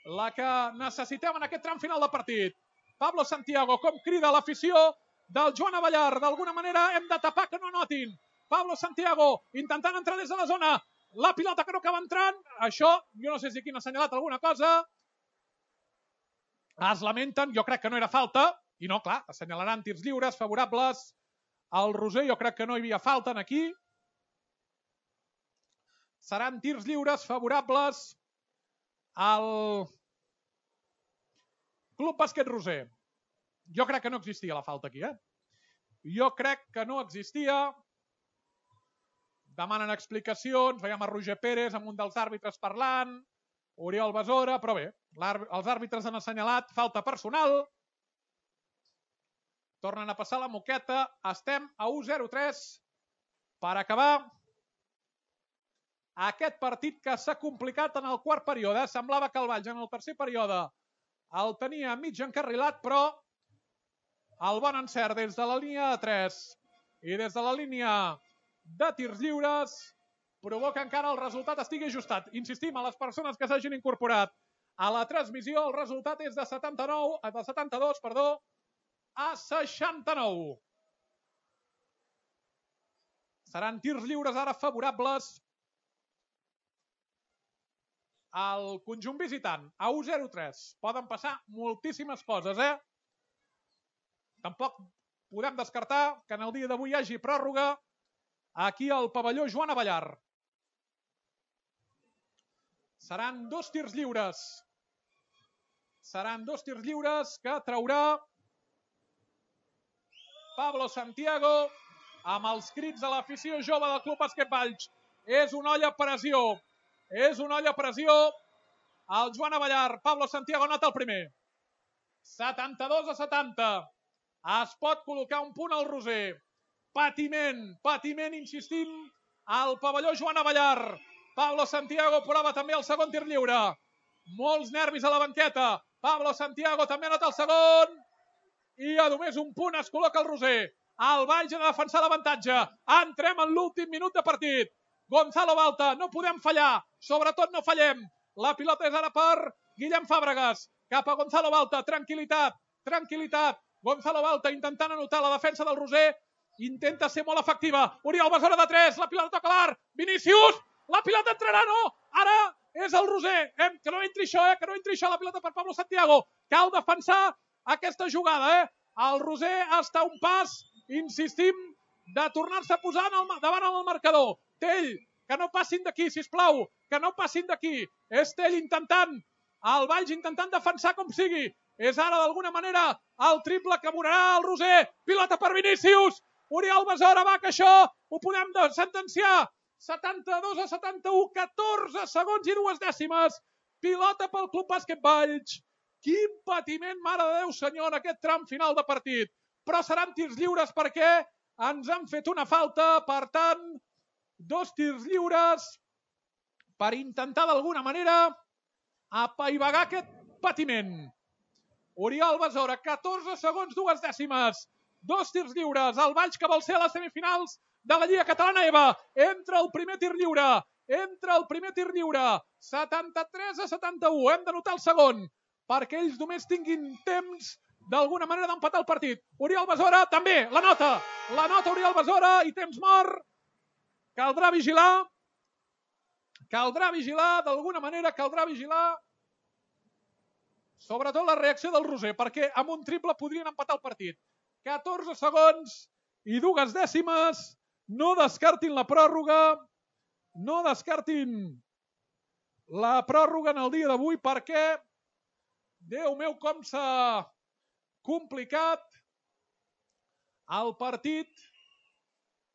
la que necessitem en aquest tram final de partit. Pablo Santiago, com crida l'afició del Joan Abellar. D'alguna manera hem de tapar que no notin. Pablo Santiago intentant entrar des de la zona. La pilota que no acaba entrant. Això, jo no sé si aquí n'ha assenyalat alguna cosa. Es lamenten, jo crec que no era falta. I no, clar, assenyalaran tirs lliures favorables al Roser. Jo crec que no hi havia falta aquí. Seran tirs lliures favorables al Club Bàsquet Roser. Jo crec que no existia la falta aquí, eh? Jo crec que no existia. Demanen explicacions. Veiem a Roger Pérez amb un dels àrbitres parlant. Oriol Besora, però bé, els àrbitres han assenyalat falta personal. Tornen a passar la moqueta. Estem a u zero tres per acabar aquest partit que s'ha complicat en el quart període. Semblava que el Valls en el tercer període el tenia mig encarrilat, però el bon encert des de la línia de tres i des de la línia de tirs lliures provoca encara el resultat estigui ajustat. Insistim a les persones que s'hagin incorporat a la transmissió, el resultat és de setanta-nou, de setanta-dos, perdó, a seixanta-nou. Seran tirs lliures ara favorables al conjunt visitant, a u zero tres. Poden passar moltíssimes coses, eh? Tampoc podem descartar que en el dia d'avui hi hagi pròrroga aquí al pavelló Joan Abellar. Seran dos tirs lliures. Seran dos tirs lliures que traurà Pablo Santiago amb els crits de l'afició jove del Club Bàsquet Valls. És una olla a pressió. És una olla a pressió. El Joan Abellar. Pablo Santiago anota el primer. setanta-dos a setanta. Es pot col·locar un punt al Roser. Patiment, patiment, insistim, al pavelló Joan Abellar. Pablo Santiago prova també el segon tir lliure. Molts nervis a la banqueta. Pablo Santiago també anota el segon. I a només un punt es col·loca el Roser. El Valls ha de defensar l'avantatge. Entrem en l'últim minut de partit. Gonzalo Balta, no podem fallar. Sobretot no fallem. La pilota és ara per Guillem Fàbregas. Cap a Gonzalo Balta. Tranquilitat, tranquil·litat. Gonzalo Balta intentant anotar la defensa del Roser. Intenta ser molt efectiva. Oriol Besora de tres. La pilota toca l'art. Vinícius. La pilota entrarà, no. Ara és és el Roser. Hem, que no entri això, eh? Que no entri això. La pilota per Pablo Santiago. Cal defensar aquesta jugada, eh? El Roser està a un pas, insistim, de tornar-se a posar en el, davant el marcador. Tell, que no passin d'aquí, sisplau. Que no passin d'aquí. És Tell intentant. El Valls intentant defensar com sigui. És ara, d'alguna manera, el triple que abonarà el Roser. Pilota per Vinícius. Oriol Besora, va, que això ho podem sentenciar. setanta-dos a setanta-u, catorze segons i dues dècimes. Pilota pel Club Bàsquet Valls. Quin patiment, mare de Déu senyor, en aquest tram final de partit. Però seran tirs lliures perquè ens han fet una falta. Per tant, dos tirs lliures per intentar d'alguna manera apaivagar aquest patiment. Oriol Besora, catorze segons, dues dècimes. Dos tirs lliures. El Valls que vol ser a les semifinals de la Lliga Catalana EVA. Entra el primer tir lliure. Entra el primer tir lliure. setanta-tres a setanta-u. Hem de notar el segon perquè ells només tinguin temps d'alguna manera d'empatar el partit. Oriol Besora també. La nota. La nota Oriol Besora i temps mort. Caldrà vigilar. Caldrà vigilar. D'alguna manera caldrà vigilar. Sobretot la reacció del Roser, perquè amb un triple podrien empatar el partit. catorze segons i dues dècimes. No descartin la pròrroga. No descartin la pròrroga en el dia d'avui perquè, Déu meu, com s'ha complicat el partit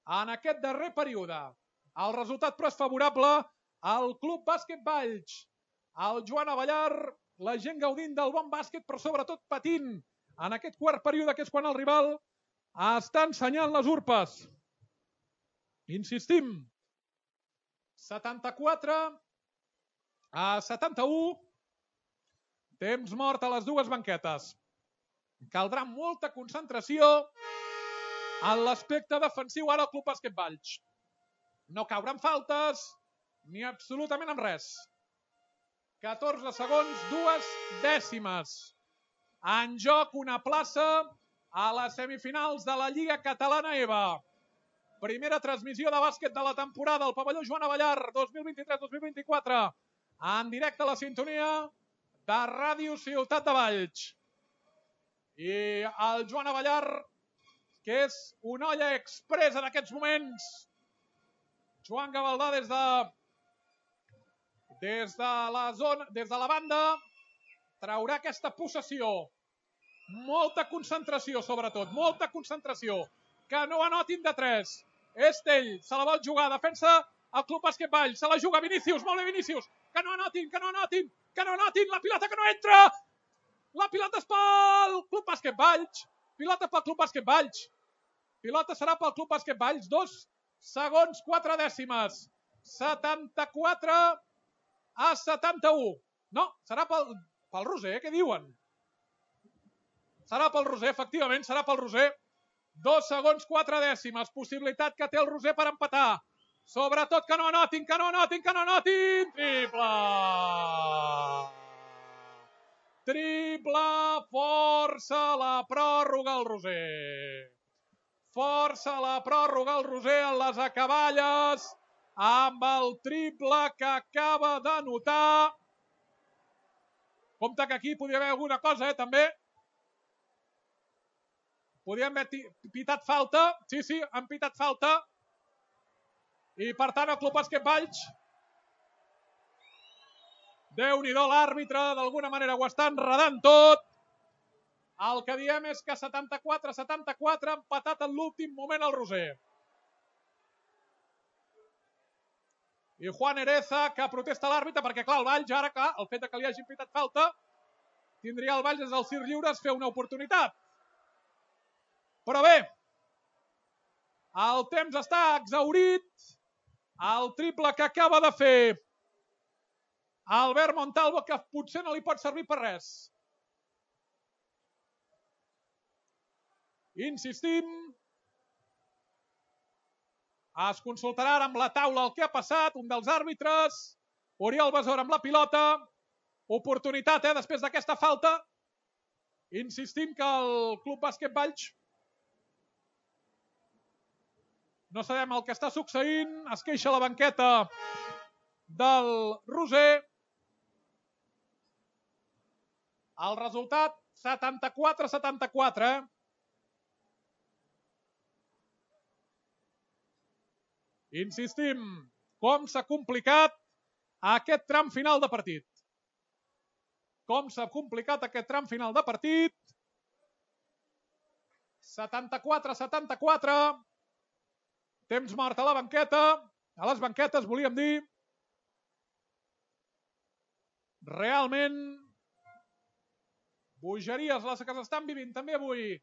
en aquest darrer període. El resultat, però, és favorable al Club Bàsquet Valls. El Joan Avellar, la gent gaudint del bon bàsquet, però sobretot patint en aquest quart període, que és quan el rival està ensenyant les urpes. Insistim, setanta-quatre a setanta-u, temps mort a les dues banquetes. Caldrà molta concentració en l'aspecte defensiu ara al Club Bàsquet Valls. No cauran faltes ni absolutament amb res. catorze segons, dues dècimes. En joc una plaça a les semifinals de la Lliga Catalana EVA. Primera transmissió de bàsquet de la temporada al pavelló Joan Avellar dos mil vint-i-tres dos mil vint-i-quatre. En directe a la sintonia de Ràdio Ciutat de Valls. I el Joan Avellar, que és una olla express en aquests moments. Joan Gavaldà des de des de la zona, des de la banda, traurà aquesta possessió. Molta concentració, sobretot, molta concentració. Que no anotin de tres. Estell, se la vol jugar, defensa el Club Bàsquet Valls, se la juga Vinícius, molt bé Vinícius, que no anotin, que no anotin, que no anotin, la pilota que no entra, la pilota és pel Club Bàsquet Valls, pilota pel Club Bàsquet Valls, pilota serà pel Club Bàsquet Valls, dos segons, quatre dècimes, setanta-quatre a setanta-u, no, serà pel, pel Roser, què diuen? Serà pel Roser, efectivament, serà pel Roser. Dos segons, quatre dècimes. Possibilitat que té el Roser per empatar. Sobretot que no anotin, que no anotin, que no anotin. Triple! Triple! Força la pròrroga al Roser. Força la pròrroga al Roser en les acaballes amb el triple que acaba d'anotar. Compte que aquí podria haver alguna cosa, eh, també. Podríem haver pitat falta. Sí, sí, han pitat falta. I, per tant, el Club Bàsquet Valls, Déu-n'hi-do, l'àrbitre, d'alguna manera ho està enredant tot. El que diem és que setanta-quatre a setanta-quatre ha empatat en l'últim moment el Roser. I Juan Ereza, que protesta l'àrbitre, perquè, clar, el Valls, ara, clar, el fet que li hagin pitat falta, tindria el Valls des dels tirs lliures fer una oportunitat. Però bé, el temps està exhaurit. El triple que acaba de fer Albert Montalvo, que potser no li pot servir per res. Insistim. Es consultarà ara amb la taula el que ha passat, un dels àrbitres. Oriol Besora amb la pilota. Oportunitat, eh, després d'aquesta falta. Insistim que el Club Bàsquet Valls, no sabem el que està succeint, es queixa la banqueta del Roser. El resultat, setanta-quatre a setanta-quatre. Insistim, com s'ha complicat aquest tram final de partit. Com s'ha complicat aquest tram final de partit. setanta-quatre a setanta-quatre. Temps mort a la banqueta. A les banquetes, volíem dir. Realment, bogeries les que s'estan vivint també avui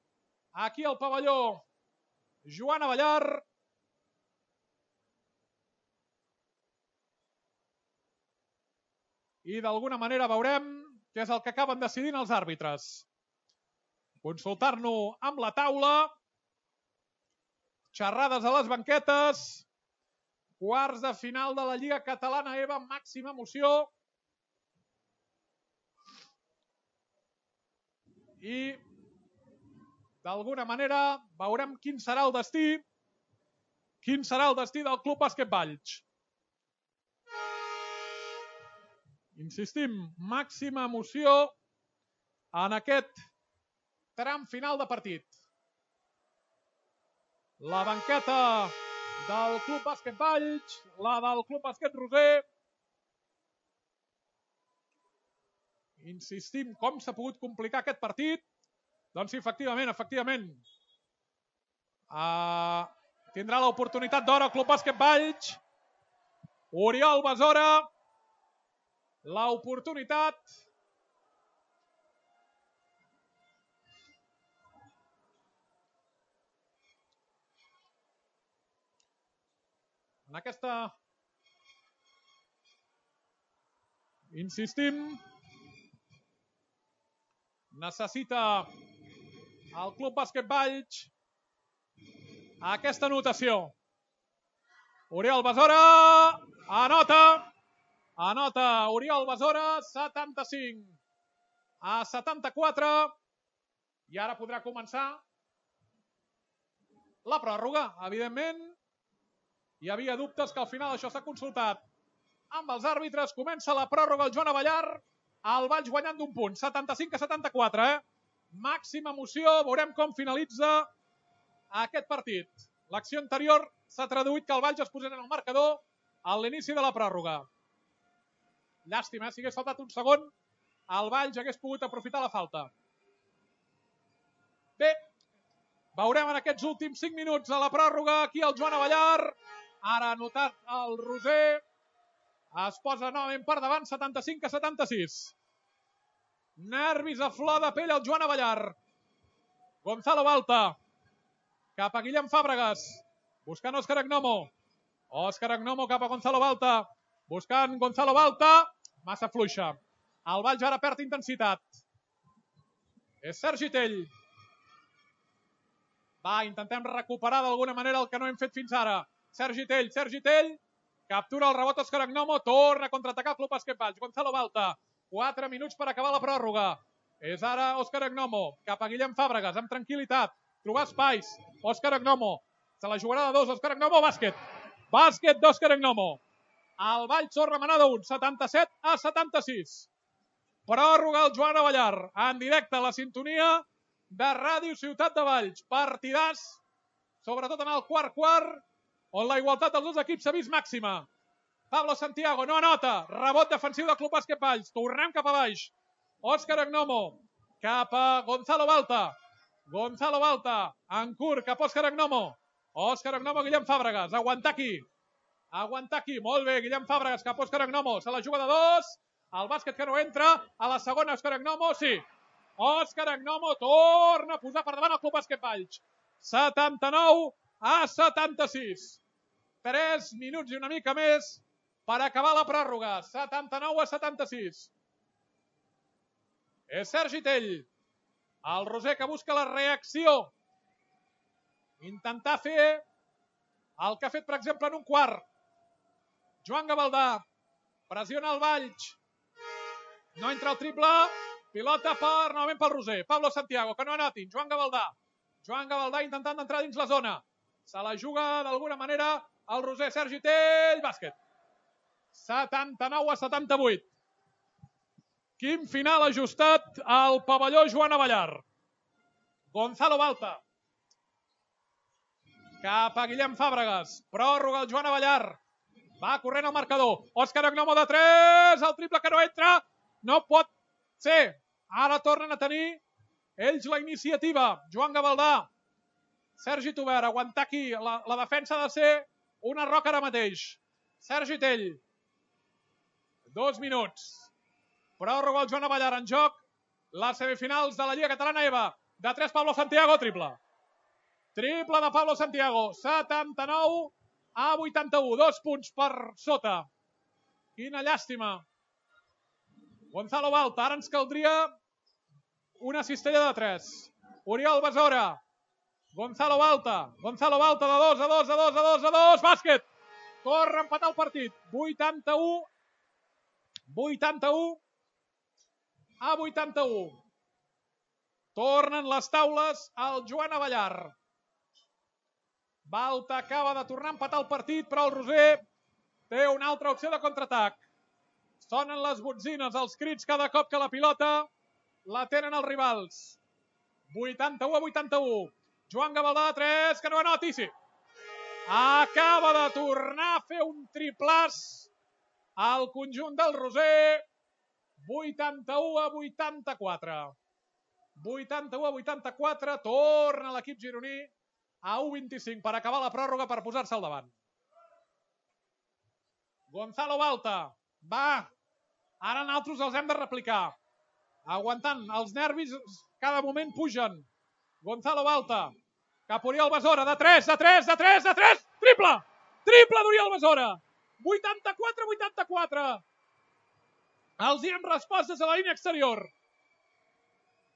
aquí al pavelló Joan Abellar. I d'alguna manera veurem què és el que acaben decidint els àrbitres. Consultar-nos amb la taula. Xerrades a les banquetes. Quarts de final de la Lliga Catalana E V A, màxima emoció. I d'alguna manera veurem quin serà el destí. Quin serà el destí del Club Bàsquet Valls. Insistim, màxima emoció en aquest tram final de partit. La banqueta del Club Bàsquet Valls, la del Club Bàsquet Roser. Insistim, com s'ha pogut complicar aquest partit? Doncs sí, efectivament, efectivament. Uh, tindrà l'oportunitat d'hora el Club Bàsquet Valls. Oriol Besora. L'oportunitat. En aquesta... Insistim. Necessita el Club Bàsquet Valls aquesta anotació. Oriol Besora anota. Anota Oriol Besora, setanta-cinc a setanta-quatre. I ara podrà començar la pròrroga. Evidentment, hi havia dubtes que al final això s'ha consultat amb els àrbitres. Comença la pròrroga el Joan Abellar. El Valls guanyant d'un punt, setanta-cinc a setanta-quatre. Eh? Màxima emoció, veurem com finalitza aquest partit. L'acció anterior s'ha traduït que el Valls es posés en el marcador a l'inici de la pròrroga. Llàstima, eh? Si hagués faltat un segon, el Valls hagués pogut aprofitar la falta. Bé, veurem en aquests últims cinc minuts a la pròrroga aquí el Joan Abellar. Ara ha anotat el Roser. Es posa novament per davant, setanta-cinc a setanta-sis. Nervis a flor de pell el Joan Abellar. Gonzalo Balta. Cap a Guillem Fàbregas. Buscant Òscar Agnomo. Òscar Agnomo cap a Gonzalo Balta. Buscant Gonzalo Balta. Massa fluixa. El Valls ara perd intensitat. És Sergi Tell. Va, intentem recuperar d'alguna manera el que no hem fet fins ara. Sergi Tell, Sergi Tell. Captura el rebot Òscar Agnomo. Torna a contraatacar el Club Bàsquet Valls. Gonzalo Balta. quatre minuts per acabar la pròrroga. És ara Òscar Agnomo. Cap a Guillem Fàbregas. Amb tranquil·litat. Trobar espais. Òscar Agnomo. Se la jugarà de dos. Òscar Agnomo. Bàsquet. Bàsquet d'Òscar Agnomo. El Valls torna a manar d'un, setanta-set a setanta-sis. Pròrroga el Joan Abellar. En directe a la sintonia de Ràdio Ciutat de Valls. Partidàs, sobretot en el quart quart, on la igualtat dels dos equips s'ha vist màxima. Pablo Santiago no anota. Rebot defensiu del Club Bàsquet Valls. Tornem cap a baix. Òscar Agnomo cap a Gonzalo Balta. Gonzalo Balta en curt cap a Òscar Agnomo. Òscar Agnomo, Guillem Fàbregas. Aguantar aquí. Aguantar aquí. Molt bé, Guillem Fàbregas cap a Òscar Agnomo. Se la juga de dos. El bàsquet que no entra. A la segona, Òscar Agnomo, sí. Òscar Agnomo torna a posar per davant el Club Bàsquet Valls. setanta-nou a setanta-sis. tres minuts i una mica més per acabar la pròrroga. setanta-nou a setanta-sis. És Sergi Tell. El Roser que busca la reacció. Intentar fer el que ha fet, per exemple, en un quart. Joan Gavaldà. Pressiona el Valls. No entra el triple. Pilota per, novament pel Roser. Pablo Santiago, que no anotin. Joan Gavaldà. Joan Gavaldà intentant entrar dins la zona. Se la juga d'alguna manera el Roser. Sergi Tell. Bàsquet. setanta-nou a setanta-vuit. Quin final ajustat al pavelló Joan Abellar. Gonzalo Balta. Cap a Guillem Fàbregas. Pròrroga el Joan Abellar. Va corrent el marcador. Òscar Agnomo de tres. El triple que no entra. No pot ser. Ara tornen a tenir ells la iniciativa. Joan Gavaldà. Sergi Tubert. Aguantar aquí. La, la defensa ha de ser una roca ara mateix. Sergi Tell. Dos minuts. Pròrroga el Joan Abellar en joc. Les semifinals de la Lliga Catalana EVA. De tres, Pablo Santiago, triple. Triple de Pablo Santiago. setanta-nou a vuitanta-u. Dos punts per sota. Quina llàstima. Gonzalo Balta. Ara ens caldria una cistella de tres. Oriol Besora. Gonzalo Balta. Gonzalo Balta de dos, a dos, a dos, a dos, a dos. Bàsquet. Corre a empatar el partit. vuitanta-u. vuitanta-u a vuitanta-u. Tornen les taules al Joan Abellar. Balta acaba de tornar a empatar el partit, però el Roser té una altra opció de contraatac. Sonen les botzines, els crits cada cop que la pilota la tenen els rivals. vuitanta-u a vuitanta-u. Joan Gavaldà de tres, que no anoti, sí. Acaba de tornar a fer un triplàs al conjunt del Roser. vuitanta-u a vuitanta-quatre. vuitanta-u a vuitanta-quatre. Torna l'equip gironí a u vint-i-cinc per acabar la pròrroga, per posar-se al davant. Gonzalo Balta. Va. Ara nosaltres els hem de replicar. Aguantant. Els nervis cada moment pugen. Gonzalo Balta. Cap Oriol Besora. De tres, de tres, de tres, de tres. Triple. Triple d'Oriol Besora. vuitanta-quatre a vuitanta-quatre. Els hi hem respost des de la línia exterior.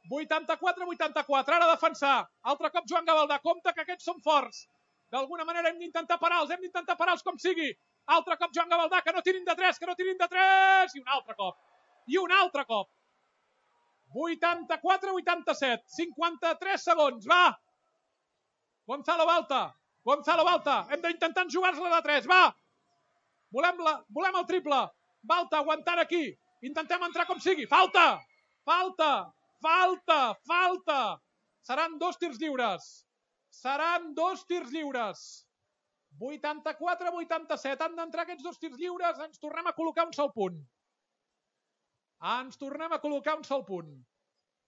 vuitanta-quatre a vuitanta-quatre. Ara a defensar. Altre cop Joan Gavaldà. Compte que aquests són forts. D'alguna manera hem d'intentar parar-los. Hem d'intentar parar-los com sigui. Altre cop Joan Gavaldà. Que no tirin de tres. Que no tirin de tres. I un altre cop. I un altre cop. vuitanta-quatre a vuitanta-set. cinquanta-tres segons. Va. Gonzalo Balta. Gonzalo Balta. Hem d'intentar jugar-la de tres. Va. Volem, la, volem el triple. Balta aguantant aquí. Intentem entrar com sigui. Falta. Falta. Falta. Falta. Seran dos tirs lliures. Seran dos tirs lliures. vuitanta-quatre a vuitanta-set. Han d'entrar aquests dos tirs lliures. Ens tornem a col·locar un sol punt. Ens tornem a col·locar un sol punt.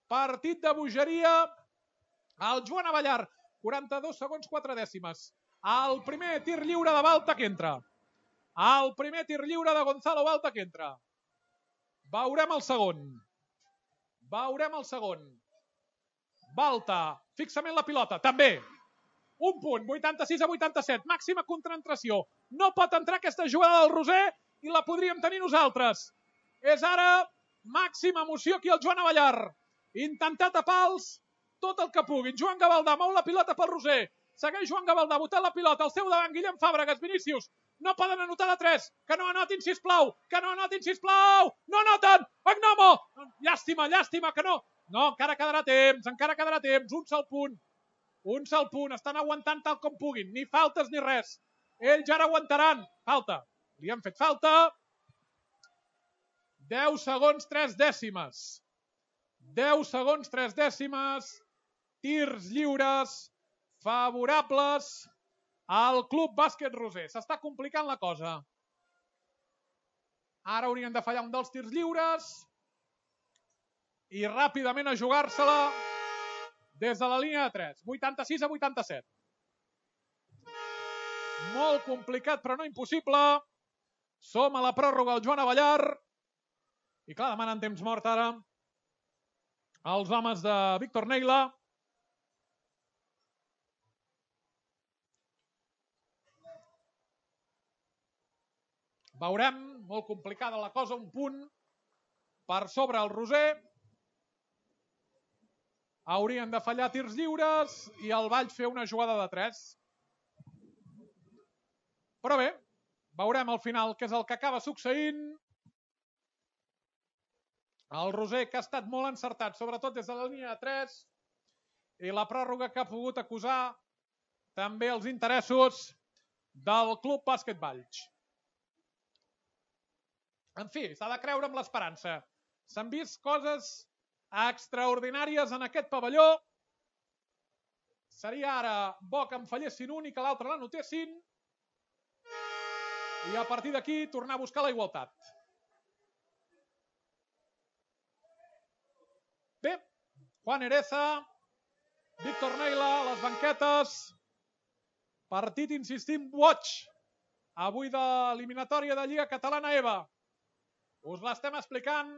Partit de bogeria. El Joan Abellar. quaranta-dos segons, quatre dècimes. El primer tir lliure de Balta que entra. El primer tir lliure de Gonzalo Balta que entra. Veurem el segon. Veurem el segon. Balta. Fixament la pilota. També. Un punt. vuitanta-sis a vuitanta-set. Màxima concentració. No pot entrar aquesta jugada del Roser i la podríem tenir nosaltres. És ara màxima emoció aquí al Joan Abellar. Intentar tapar-los tot el que puguin. Joan Gavaldà mou la pilota pel Roser. Segueix Joan Gavaldà botant la pilota. Al seu davant Guillem Fàbregas, Vinícius. No poden anotar de tres. Que no anotin, sisplau. Que no anotin, sisplau. No anoten. Agnomo. Llàstima, llàstima, que no. No, encara quedarà temps. Encara quedarà temps. Un sol punt. Un sol punt. Estan aguantant tal com puguin. Ni faltes ni res. Ells ja aguantaran. Falta. Li han fet falta. deu segons, tres dècimes. deu segons, tres dècimes. Tirs lliures. Favorables al Club Bàsquet Roser. S'està complicant la cosa. Ara haurien de fallar un dels tirs lliures i ràpidament a jugar-se-la des de la línia de tres. vuitanta-sis a vuitanta-set. Molt complicat, però no impossible. Som a la pròrroga al Joan Abellar. I clar, demanen temps mort ara els homes de Víctor Neila. Veurem, molt complicada la cosa, un punt per sobre el Roser. Haurien de fallar tirs lliures i el Valls fer una jugada de tres. Però bé, veurem al final què és el que acaba succeint. El Roser, que ha estat molt encertat, sobretot des de la línia de tres, i la pròrroga que ha pogut acusar també els interessos del Club Bàsquet Valls. En fi, s'ha de creure amb l'esperança. S'han vist coses extraordinàries en aquest pavelló. Seria ara bo que en fallessin un i que l'altre l'anotessin. I a partir d'aquí tornar a buscar la igualtat. Bé, Juan Ereza, Víctor Neila, les banquetes. Partit, insistim, boig. Avui de l'eliminatòria de Lliga Catalana EVA. Us l'estem explicant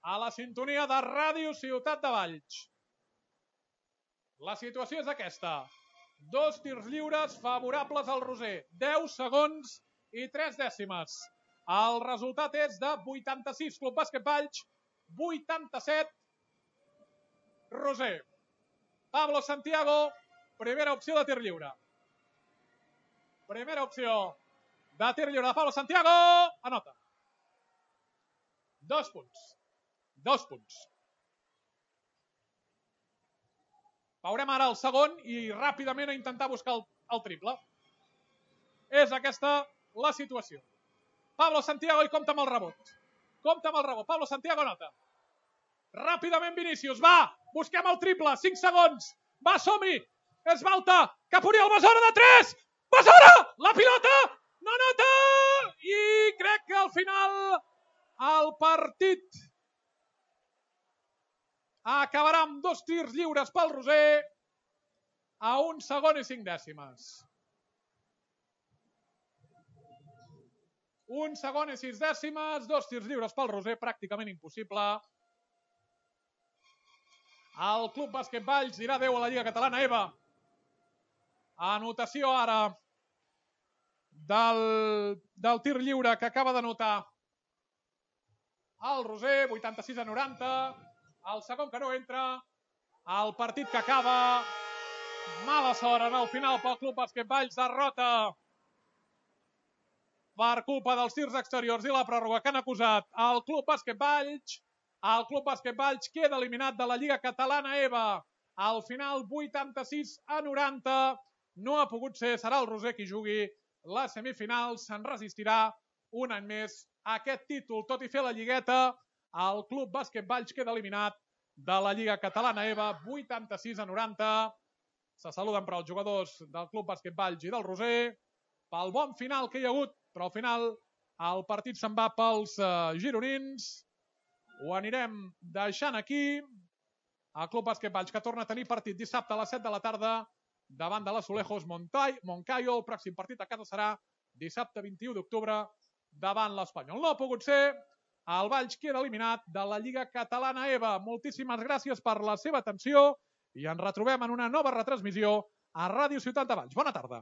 a la sintonia de Ràdio Ciutat de Valls. La situació és aquesta. Dos tirs lliures favorables al Roser. deu segons i tres dècimes. El resultat és de vuitanta-sis Club Bàsquet Valls, vuitanta-set Roser. Pablo Santiago, primera opció de tir lliure. Primera opció de tir lliure de Pablo Santiago. Anota. Dos punts. Dos punts. Veurem ara el segon i ràpidament a intentar buscar el, el triple. És aquesta la situació. Pablo Santiago i compta amb el rebot. Compta amb el rebot. Pablo Santiago anota. Ràpidament Vinícius. Va! Busquem el triple. cinc segons. Va, som-hi! És Balta. Cap Oriol Besora de tres! Besora! La pilota! No nota! I crec que al final el partit acabarà amb dos tirs lliures pel Roser a un segon i cinc dècimes. Un segon i sis dècimes, dos tirs lliures pel Roser, pràcticament impossible. El Club Bàsquet Valls dirà adeu a la Lliga Catalana EVA. Anotació ara del, del tir lliure que acaba d'anotar el Roser, vuitanta-sis a noranta. El segon que no entra. El partit que acaba. Mala sort en el final pel Club Bàsquet Valls. Derrota per culpa dels tirs exteriors i la pròrroga que han acusat el Club Bàsquet Valls. El Club Bàsquet Valls queda eliminat de la Lliga Catalana EVA. Al final, vuitanta-sis a noranta. No ha pogut ser, serà el Roser qui jugui les semifinals. Se'n resistirà un any més a aquest títol. Tot i fer la lligueta, el Club Bàsquet Valls queda eliminat de la Lliga Catalana EVA, vuitanta-sis a noranta. Se saluden però els jugadors del Club Bàsquet Valls i del Roser pel bon final que hi ha hagut, però al final el partit se'n va pels uh, gironins. Ho anirem deixant aquí. El Club Bàsquet Valls que torna a tenir partit dissabte a les set de la tarda davant de l'Azulejos Moncayo. El pròxim partit a casa serà dissabte vint-i-u d'octubre davant l'Espanyol. No ha pogut ser. El Valls queda eliminat de la Lliga Catalana EVA. Moltíssimes gràcies per la seva atenció i ens retrobem en una nova retransmissió a Ràdio Ciutat de Valls. Bona tarda.